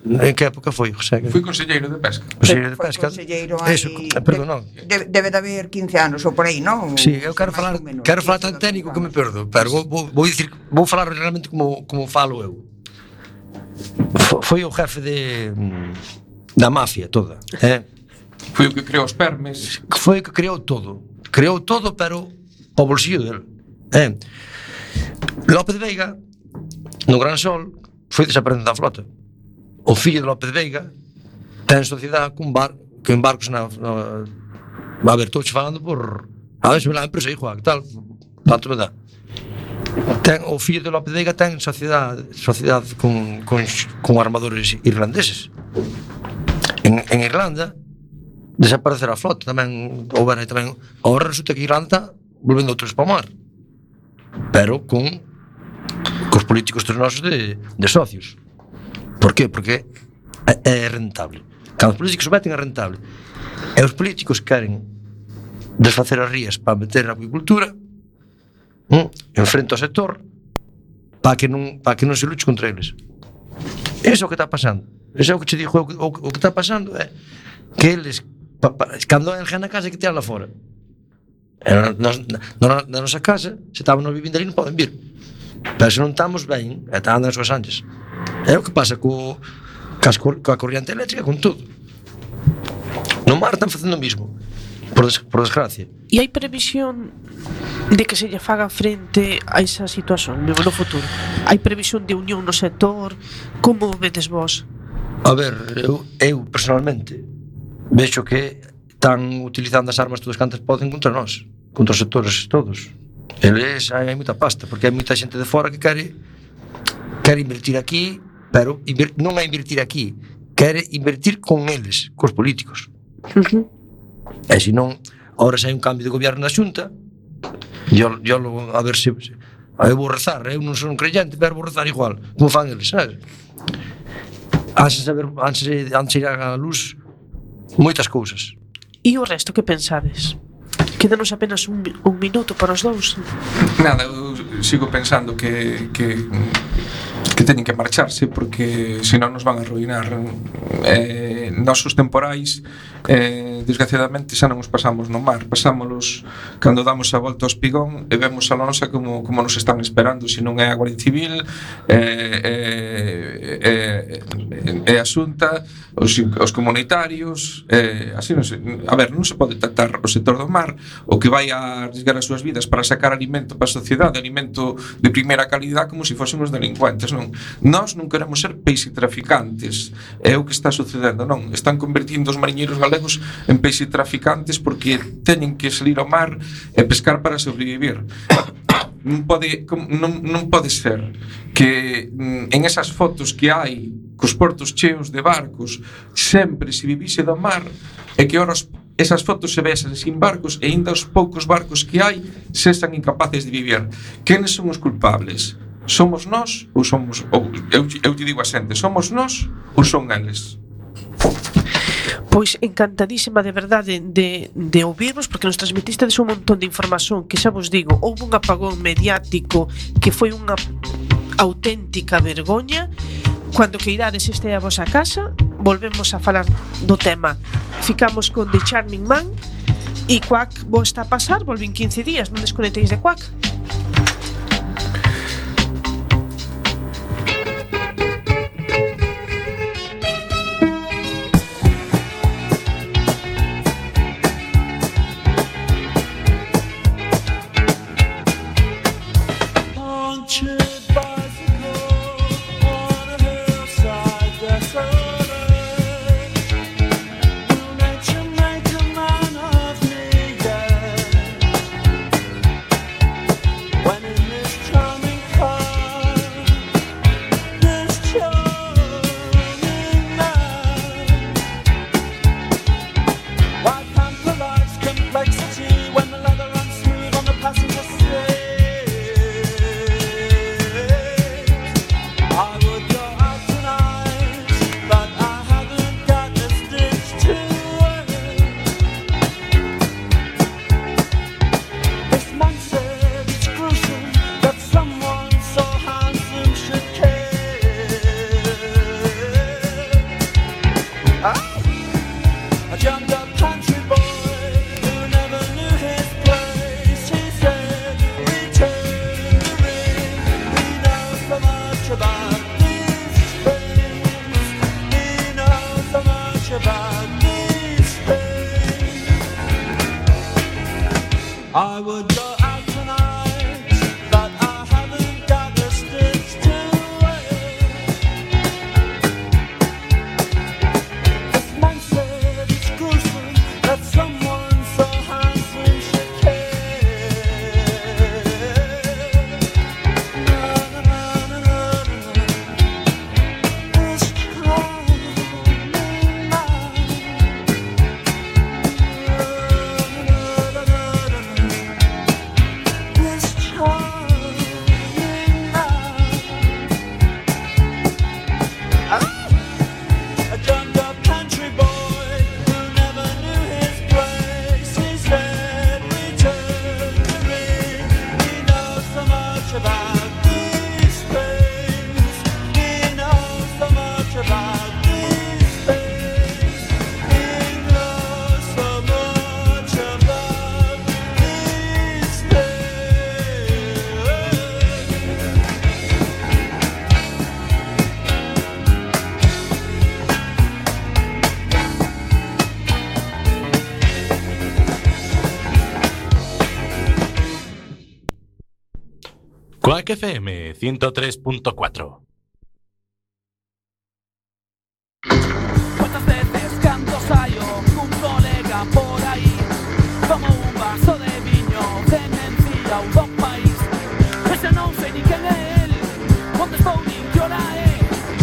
[SPEAKER 3] En que época foi, José?
[SPEAKER 4] Foi conselleiro de pesca.
[SPEAKER 3] Conselleiro de pesca.
[SPEAKER 5] Conselleiro hai...
[SPEAKER 3] Eso, perdón, non.
[SPEAKER 5] Debe, debe de haber quince anos ou por aí, non?
[SPEAKER 3] Sí, eu quero falar, quero falar tan técnico que me perdo, pero vou, vou, vou, dicir, vou falar realmente como, como falo eu. Foi o jefe de da mafia toda, eh?
[SPEAKER 4] Foi o que creou os permes.
[SPEAKER 3] Foi o que creou todo. Creou todo, pero ao bolsillo dele, eh? López Veiga, no Gran Sol, foi desaparecendo da flota. O fillo de López Veiga ten sociedade con bar, con barcos na, na... A ver, estou falando por... A ver, se me la empresa, hijo, que tal, tanto me dá. Ten, o fillo de López Veiga ten sociedade, sociedade con, con, con armadores irlandeses. En, en Irlanda desaparecer a flota tamén, ou ben, tamén agora resulta que Irlanda volvendo outros para o mar, pero con cos políticos dos nosos de, de socios. Por qué? Porque é, é rentable. Cando os políticos se meten é rentable. E os políticos queren desfacer as rías para meter a acuicultura mm, en frente ao sector para que non, para que non se luche contra eles. Iso é o que está pasando. Iso é o que te digo, o que, o, o que está pasando é que eles pa, pa, cando hai alguén na casa que tirala fora. Na, na, na, na nosa casa, se estaban vivindo ali non poden vir. Pero se non estamos ben, e están nas súas anchas. É o que pasa co, coa corriente eléctrica, con todo. No mar están facendo o mismo, por, des, por desgracia.
[SPEAKER 2] E hai previsión de que se lle faga frente a esa situación no futuro? Hai previsión de unión no sector? Como vedes vos?
[SPEAKER 3] A ver, eu, eu personalmente vexo que están utilizando as armas todas cantas poden contra nós, contra os sectores todos. Eles, hai, hai moita pasta, porque hai moita xente de fora que quere quere invertir aquí, pero inver, non é invertir aquí, quere invertir con eles, cos políticos.
[SPEAKER 2] Uh-huh.
[SPEAKER 3] E se non, ahora se hai un cambio de goberno na Xunta, yo, yo a ver se, se eu vou rezar, eu non son un creyente, pero vou rezar igual, como fan eles, sabes? Antes de saber, antes de, antes de ir a luz moitas cousas.
[SPEAKER 2] E o resto, que pensades? Quédanos apenas un, un minuto para os dous.
[SPEAKER 4] Nada, eu sigo pensando que, que, que teñen que marcharse porque senón nos van a arruinar. Eh, nosos temporais eh, desgraciadamente xa non os pasamos no mar, pasámolos cando damos a volta ao espigón e vemos a lonxa como, como nos están esperando, se non é a Guardia Civil, eh, eh, eh, eh, a Xunta, os, os comunitarios, eh, así non se, a ver, non se pode tratar o sector do mar, o que vai a arriesgar as súas vidas para sacar alimento para a sociedade, alimento de primeira calidad, como se fósemos delincuentes, non? Nós non queremos ser peixe traficantes, é o que está sucedendo, non? Están convertindo os mariñeiros galegos en peixe traficantes porque teñen que salir ao mar e pescar para sobrevivir. Non pode, non, non pode ser que en esas fotos que hai cos portos cheos de barcos sempre se vivise do mar e que ora esas fotos se vesen sin barcos e ainda os poucos barcos que hai sexan incapaces de vivir. Quenes son os culpables? Somos nós ou somos ou, eu, eu te digo a xente, somos nós ou son eles?
[SPEAKER 2] Pois encantadísima de verdade de, de ouvirvos, porque nos transmitistedes un montón de información que xa vos digo, houve un apagón mediático que foi unha auténtica vergoña. Cando que irades este a vosa casa, volvemos a falar do tema. Ficamos con The Charming Man e Quack vos está a pasar, volven quince días, non desconectéis de Quack.
[SPEAKER 6] Quack F M ciento tres punto cuatro.